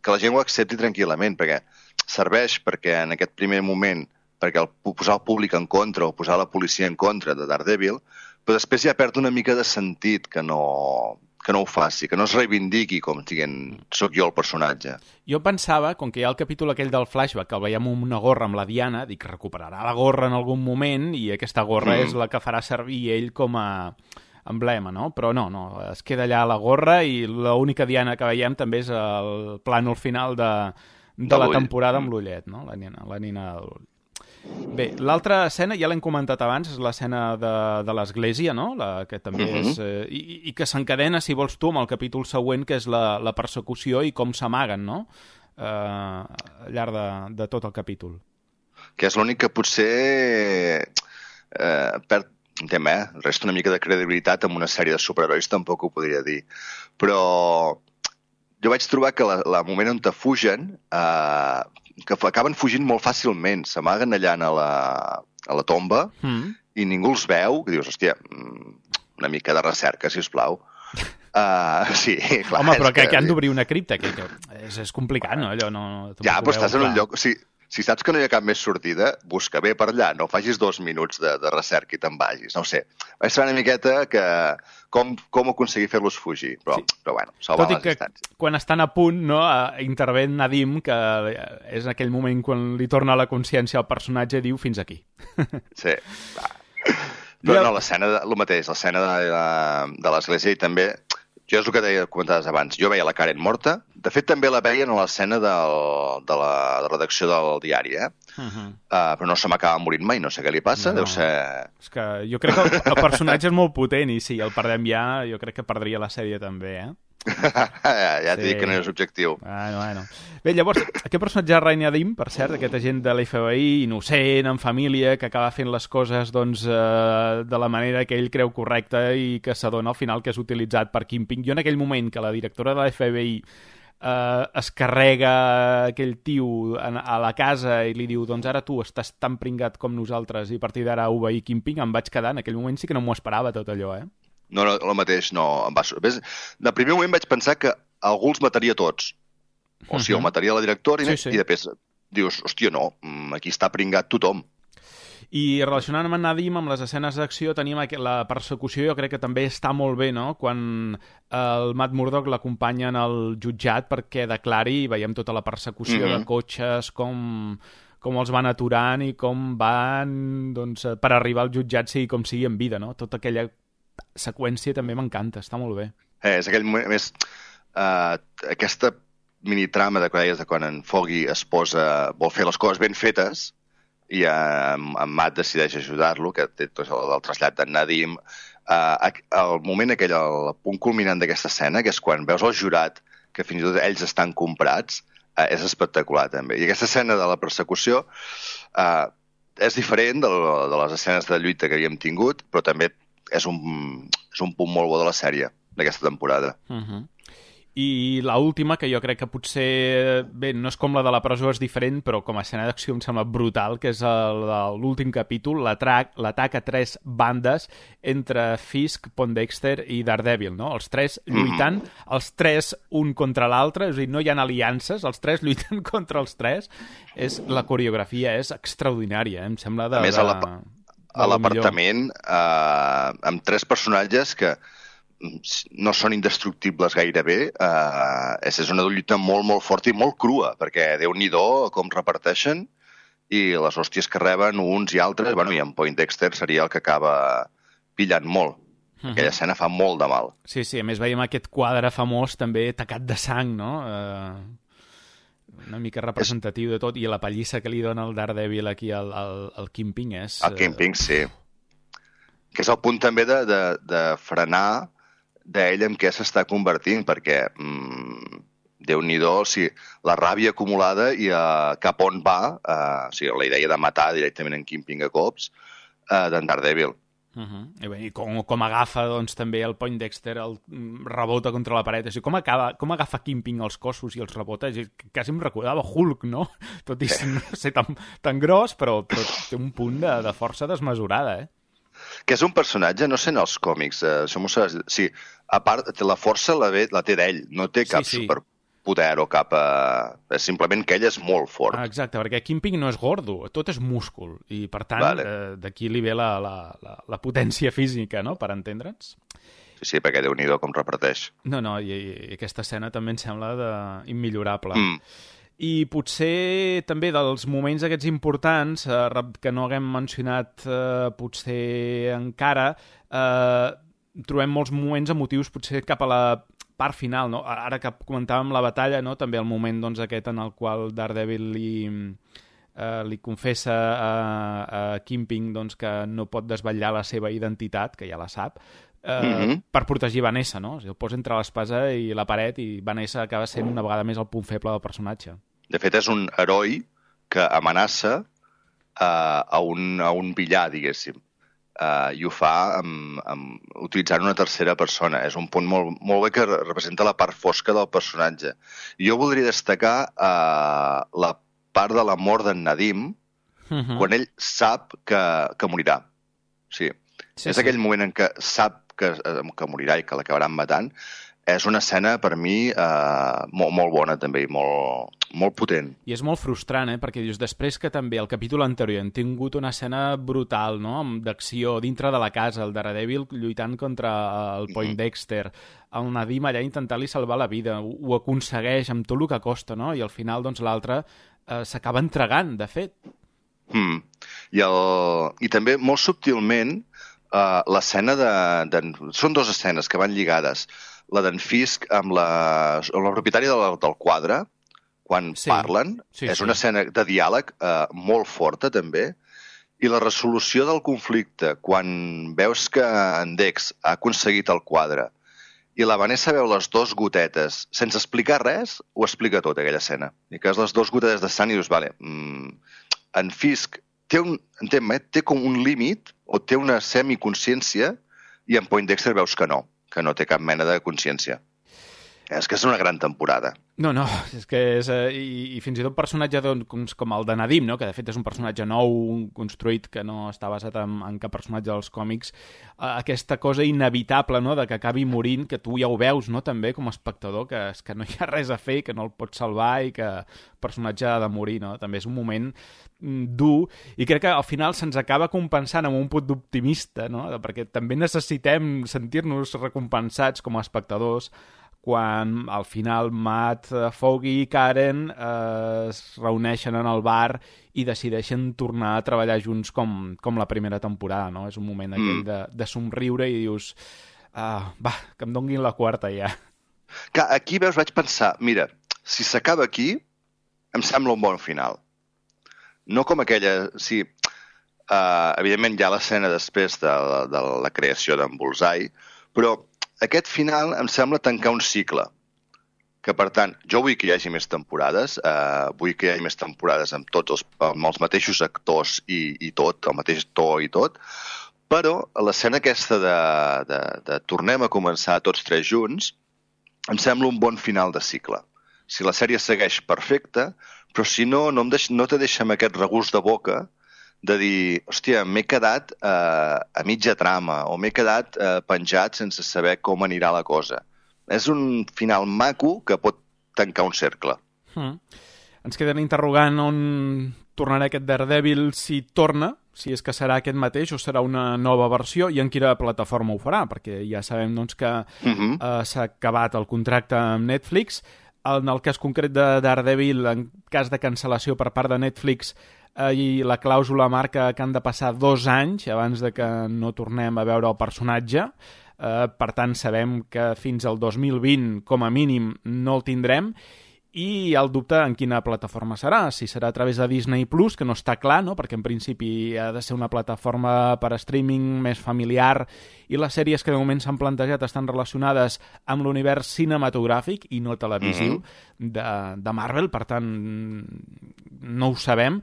la gent ho accepti tranquil·lament, perquè serveix perquè en aquest primer moment perquè posar el públic en contra o posar la policia en contra de Daredevil, però després ja perd una mica de sentit que no ho faci, que no es reivindiqui com dient, soc jo el personatge. Jo pensava, com que hi ha el capítol aquell del flashback, que el veiem amb una gorra amb la Diana, dic, recuperarà la gorra en algun moment i aquesta gorra és la que farà servir ell com a emblema, no? Però no, es queda allà la gorra i l'única Diana que veiem també és el plànol final de la temporada amb l'ullet, no? La nina de l'ull. Bé, l'altra escena, ja l'hem comentat abans, és l'escena de l'església, no? Que també és... I que s'encadena, si vols tu, amb el capítol següent, que és la persecució i com s'amaguen, no? Al llarg de tot el capítol. Que és l'únic que potser perd un tema, resta una mica de credibilitat amb una sèrie de superherois, tampoc ho podria dir. Però jo vaig trobar que el moment on te fugen... que acaben fugint molt fàcilment, s'amaguen allà a la tomba i ningú els veu, que dius, hòstia, una mica de recerca, sisplau. Sí, clar. Home, però que han d'obrir una cripta, que és complicat, no? Allò no ja, però estàs en un lloc... Si saps que no hi ha cap més sortida, busca bé per allà, no facis 2 minuts de recerca i te'n vagis, no ho sé. Vaig saber una miqueta que com aconseguir fer-los fugir, però bueno, salvar les distàncies. Quan estan a punt, no, intervé Nadim, que és aquell moment quan li torna la consciència al personatge, diu fins aquí. Sí, va. No, l'escena, el mateix, l'escena de l'església i també... Jo és el que comentaves abans. Jo veia la Karen morta. De fet, també la veia en l'escena de la redacció del diari, però no se m'acaba morint mai, no sé què li passa, deu ser... És que jo crec que el personatge és molt potent i si el perdem ja, jo crec que perdria la sèrie també, Ja t'he dit que no és objectiu. Bueno. Bé, llavors, aquest personatge de Rainy Nadim, per cert, aquest agent de l'FBI, innocent, en família, que acaba fent les coses doncs, de la manera que ell creu correcta i que s'adona al final que és utilitzat per Kingpin. Jo en aquell moment que la directora de l'FBI es carrega aquell tio a la casa i li diu, doncs ara tu estàs tan pringat com nosaltres i a partir d'ara obeir Kingpin, em vaig quedar, en aquell moment sí que no m'ho esperava tot allò, No, el mateix, no. De primer moment vaig pensar que algú els mataria tots. O sigui, el mataria la directora i després dius, hòstia, no, aquí està pringat tothom. I relacionant amb en Nadim, amb les escenes d'acció, tenim la persecució, jo crec que també està molt bé, no? Quan el Matt Murdock l'acompanya en el jutjat perquè declari, i veiem tota la persecució de cotxes, com els van aturant i com van doncs, per arribar al jutjat sigui com sigui en vida, no? Tota aquella seqüència també m'encanta, està molt bé. És aquell moment, a més, aquesta minitrama de quan en Foggy vol fer les coses ben fetes i en Matt decideix ajudar-lo, que té tot el trasllat d'en Nadim. El moment aquell, el punt culminant d'aquesta escena, que és quan veus el jurat, que fins i tot ells estan comprats, és espectacular també. I aquesta escena de la persecució és diferent de les escenes de lluita que havíem tingut, però també és un punt molt bo de la sèrie, d'aquesta temporada. I l'última, que jo crec que potser, bé, no és com la de la presó, és diferent, però com a escena d'acció em sembla brutal, que és l'últim capítol, l'atac a 3 bandes entre Fisk, Poindexter i Daredevil, no? Els 3 lluitant, els 3 un contra l'altre, és a dir, no hi ha aliances, els 3 lluiten contra els 3. La coreografia és extraordinària, em sembla de... A més, a l'apartament, amb 3 personatges que no són indestructibles gairebé, és una lluita molt, molt forta i molt crua, perquè Déu-n'hi-do com reparteixen i les hòsties que reben uns i altres, bueno, i en Poindexter seria el que acaba pillant molt. Aquella escena fa molt de mal. Sí, a més veiem aquest quadre famós també tacat de sang, no? Una mica representatiu de tot, i la pallissa que li dona el Daredevil aquí al Kingpin és... El Kingpin, sí. Que és el punt també de frenar d'ell en què s'està convertint, perquè Déu-n'hi-do, la ràbia acumulada i cap on va, la idea de matar directament en Kingpin a cops, d'en Daredevil. I com agafa doncs, també el Poindexter, el rebota contra la paret, com agafa Kingpin els cossos i els rebota, quasi em recordava Hulk, no? Tot i no ser tan gros, però té un punt de força desmesurada, Que és un personatge, no sé en els còmics, això m'ho saps... Sí, a part, la força la té d'ell, no té cap superpoder o cap... simplement que ell és molt fort. Exacte, perquè Kingpin no és gordo, tot és múscul, i per tant, d'aquí li ve la potència física, no?, per entendre'ns. Sí, perquè Déu-n'hi-do com reparteix. No, i aquesta escena també em sembla immillorable. I potser també dels moments aquests importants, que no haguem mencionat potser encara, trobem molts moments emotius potser cap a la part final, no? Ara que comentàvem la batalla, no? També el moment doncs, aquest en el qual Daredevil li confessa a Kingpin doncs, que no pot desvetllar la seva identitat, que ja la sap, per protegir Vanessa, no? O sigui, el posa entre l'espasa i la paret i Vanessa acaba sent una vegada més el punt feble del personatge. De fet, és un heroi que amenaça a un villar, diguéssim, i ho fa utilitzant una tercera persona. És un punt molt bé que representa la part fosca del personatge. Jo voldria destacar la part de la mort d'en Nadim, quan ell sap que morirà. Sí. És aquell moment en què sap que morirà i que l'acabaran matant. És una escena, per mi, molt bona, també, molt potent. I és molt frustrant, perquè dius, després que també al capítol anterior hem tingut una escena brutal, no?, d'acció dintre de la casa, el Daredevil lluitant contra el Poindexter, el Nadim allà intentant-li salvar la vida, ho aconsegueix amb tot el que costa, no?, i al final, doncs, l'altre s'acaba entregant, de fet. I també, molt subtilment, l'escena són 2 escenes que van lligades. La d'en Fisk amb la propietària del quadre, quan parlen, és una escena de diàleg molt forta, també, i la resolució del conflicte, quan veus que en Dex ha aconseguit el quadre i la Vanessa veu les 2 gotetes. Sense explicar res, ho explica tot, aquella escena. I que és les 2 gotetes de sang i dius, vale, en Fisk té com un límit o té una semiconsciència i en Poindexter veus que no té cap mena de consciència. És que és una gran temporada. No, és que és... I fins i tot personatge com el de Nadim, no? Que de fet és un personatge nou, construït, que no està basat en cap personatge dels còmics, aquesta cosa inevitable, no?, de que acabi morint, que tu ja ho veus, no?, també com a espectador, que és que no hi ha res a fer, que no el pots salvar i que el personatge ha de morir, no? També és un moment dur, i crec que al final se'ns acaba compensant amb un punt d'optimista, no?, perquè també necessitem sentir-nos recompensats com a espectadors quan al final Matt, Foggy i Karen es reuneixen en el bar i decideixen tornar a treballar junts com la primera temporada, no? És un moment aquell de somriure i dius, va, que em donguin la quarta ja. Que aquí, veus, vaig pensar, mira, si s'acaba aquí, em sembla un bon final. No com aquella... Sí, evidentment hi ha l'escena després de la creació d'en Bullseye, però aquest final em sembla tancar un cicle. Que, per tant, jo vull que hi hagi més temporades, vull que hi hagi més temporades amb els mateixos actors i tot, el mateix to i tot, però l'escena aquesta de tornem a començar tots 3 junts em sembla un bon final de cicle. Si la sèrie segueix perfecta, però si no te deixa amb aquest regust de boca de dir, hòstia, m'he quedat a mitja trama o m'he quedat penjat sense saber com anirà la cosa. És un final maco que pot tancar un cercle. Ens queden interrogant on tornarà aquest Daredevil, si torna, si és que serà aquest mateix o serà una nova versió i en quina plataforma ho farà, perquè ja sabem doncs, que s'ha acabat el contracte amb Netflix. En el cas concret de Daredevil, en cas de cancel·lació per part de Netflix, i la clàusula marca que han de passar 2 anys abans de que no tornem a veure el personatge. Per tant, sabem que fins al 2020, com a mínim, no el tindrem. I hi ha el dubte en quina plataforma serà. Si serà a través de Disney+, que no està clar, no?, perquè en principi ha de ser una plataforma per a streaming més familiar i les sèries que de moment s'han plantejat estan relacionades amb l'univers cinematogràfic i no televisiu de Marvel. Per tant, no ho sabem.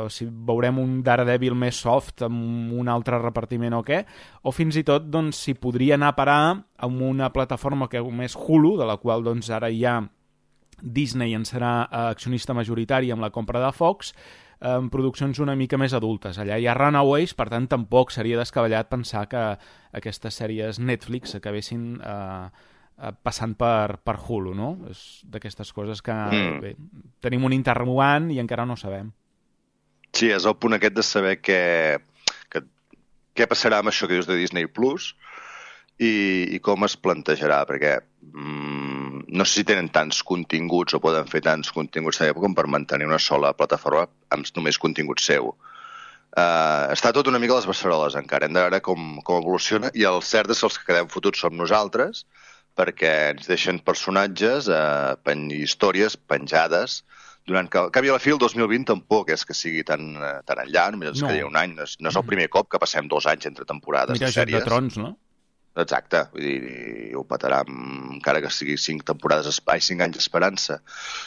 Si veurem un Daredevil més soft amb un altre repartiment o què, o fins i tot doncs, si podria anar a parar amb una plataforma que més Hulu, de la qual doncs, ara ja Disney en serà accionista majoritari amb la compra de Fox, amb produccions una mica més adultes. Allà hi ha Runaways, per tant tampoc seria descabellat pensar que aquestes sèries Netflix acabessin passant per Hulu, no? És d'aquestes coses que bé, tenim un interrogant i encara no sabem. Sí, és el punt aquest de saber què passarà amb això que dius de Disney Plus i com es plantejarà, perquè no sé si tenen tants continguts o poden fer tants continguts com per mantenir una sola plataforma amb només contingut seu. Està tot una mica a les beceroles encara, hem de veure com evoluciona, i el cert és que els que quedem fotuts som nosaltres, perquè ens deixen personatges i històries penjades durant que, al cap i a la fi, el 2020 tampoc és que sigui tan enllà, només ens quedaria un any. No és el primer cop que passem 2 anys entre temporades de sèries. Mira, Joc de Trons, no? Exacte, vull dir, ho petarà encara que sigui 5 anys d'esperança.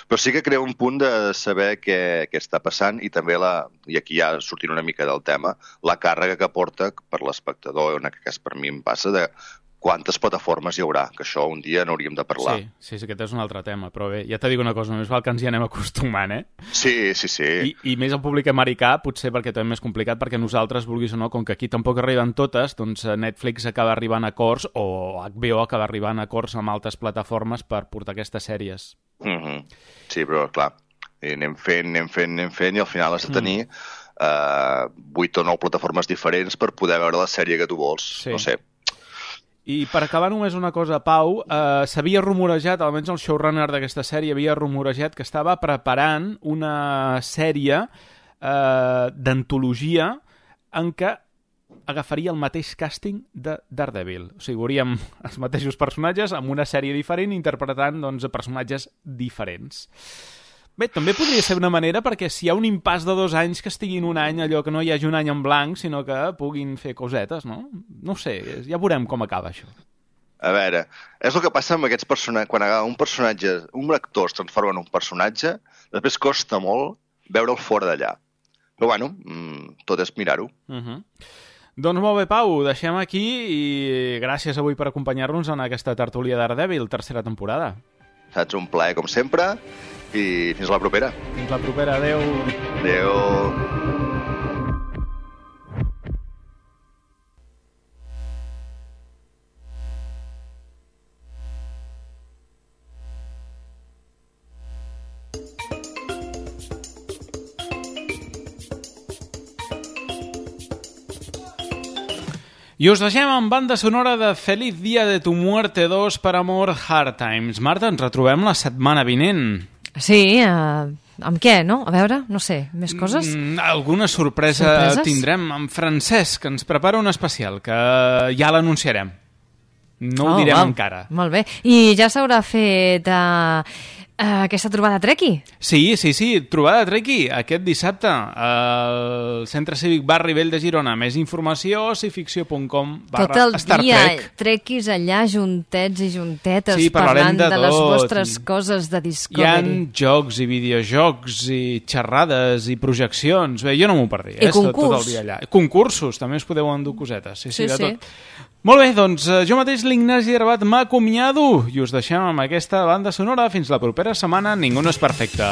Però sí que crea un punt de saber què està passant i també, i aquí ja sortint una mica del tema, la càrrega que porta per l'espectador, en aquest cas per mi em passa, de quantes plataformes hi haurà, que això un dia n'hauríem de parlar. Sí, aquest és un altre tema, però bé, ja t'he dit una cosa, només val que ens hi anem acostumant, Sí. I més el públic americà, potser perquè també és complicat, perquè nosaltres, vulguis o no, com que aquí tampoc arriben totes, doncs Netflix acaba arribant a acords, o HBO acaba arribant a acords amb altres plataformes per portar aquestes sèries. Sí, però clar, anem fent, i al final has de tenir 8 o 9 plataformes diferents per poder veure la sèrie que tu vols, no sé. I per acabar només una cosa, Pau, s'havia rumorejat, almenys el showrunner d'aquesta sèrie havia rumorejat que estava preparant una sèrie d'antologia en què agafaria el mateix càsting de Daredevil. O sigui, veuríem els mateixos personatges amb una sèrie diferent interpretant personatges diferents. Bé, també podria ser una manera perquè si hi ha un impàs de 2 anys que estiguin un any, allò que no hi hagi un any en blanc, sinó que puguin fer cosetes, no? No sé, ja veurem com acaba això. A veure, és el que passa amb aquests personatges. Quan un personatge, un actor es transforma en un personatge, després costa molt veure'l fora d'allà. Però bueno, tot és mirar-ho. Doncs molt bé, Pau, deixem aquí i gràcies avui per acompanyar-nos en aquesta tertúlia Daredevil, tercera temporada. Saps, un plaer com sempre i fins la propera. Fins la propera, adeu. Adeu. I us deixem amb banda sonora de Feliz Día de tu Muerte 2 per Amor Hard Times. Marta, ens retrobem la setmana vinent. Sí, amb què, no? A veure, no sé, més coses? Alguna sorpresa tindrem amb Francesc, que ens prepara un especial, que ja l'anunciarem. No ho direm encara. Molt bé. I ja s'haurà fet aquesta trobada Treki? Sí, trobada Treki aquest dissabte al Centre Cívic Barri Vell de Girona. Més informació a cificció.com/StarTrek. Tot el dia, Trekis allà juntets i juntetes parlant de les vostres coses de Discovery. Hi ha jocs i videojocs i xerrades i projeccions. Bé, jo no m'ho perdi. I concurs. Tot el dia allà. Concursos, també us podeu endur cosetes. Sí, de tot. Molt bé, doncs jo mateix, l'Ignasi Herbat, m'acomiado i us deixem amb aquesta banda sonora. Fins la propera setmana. Ningú no és perfecte.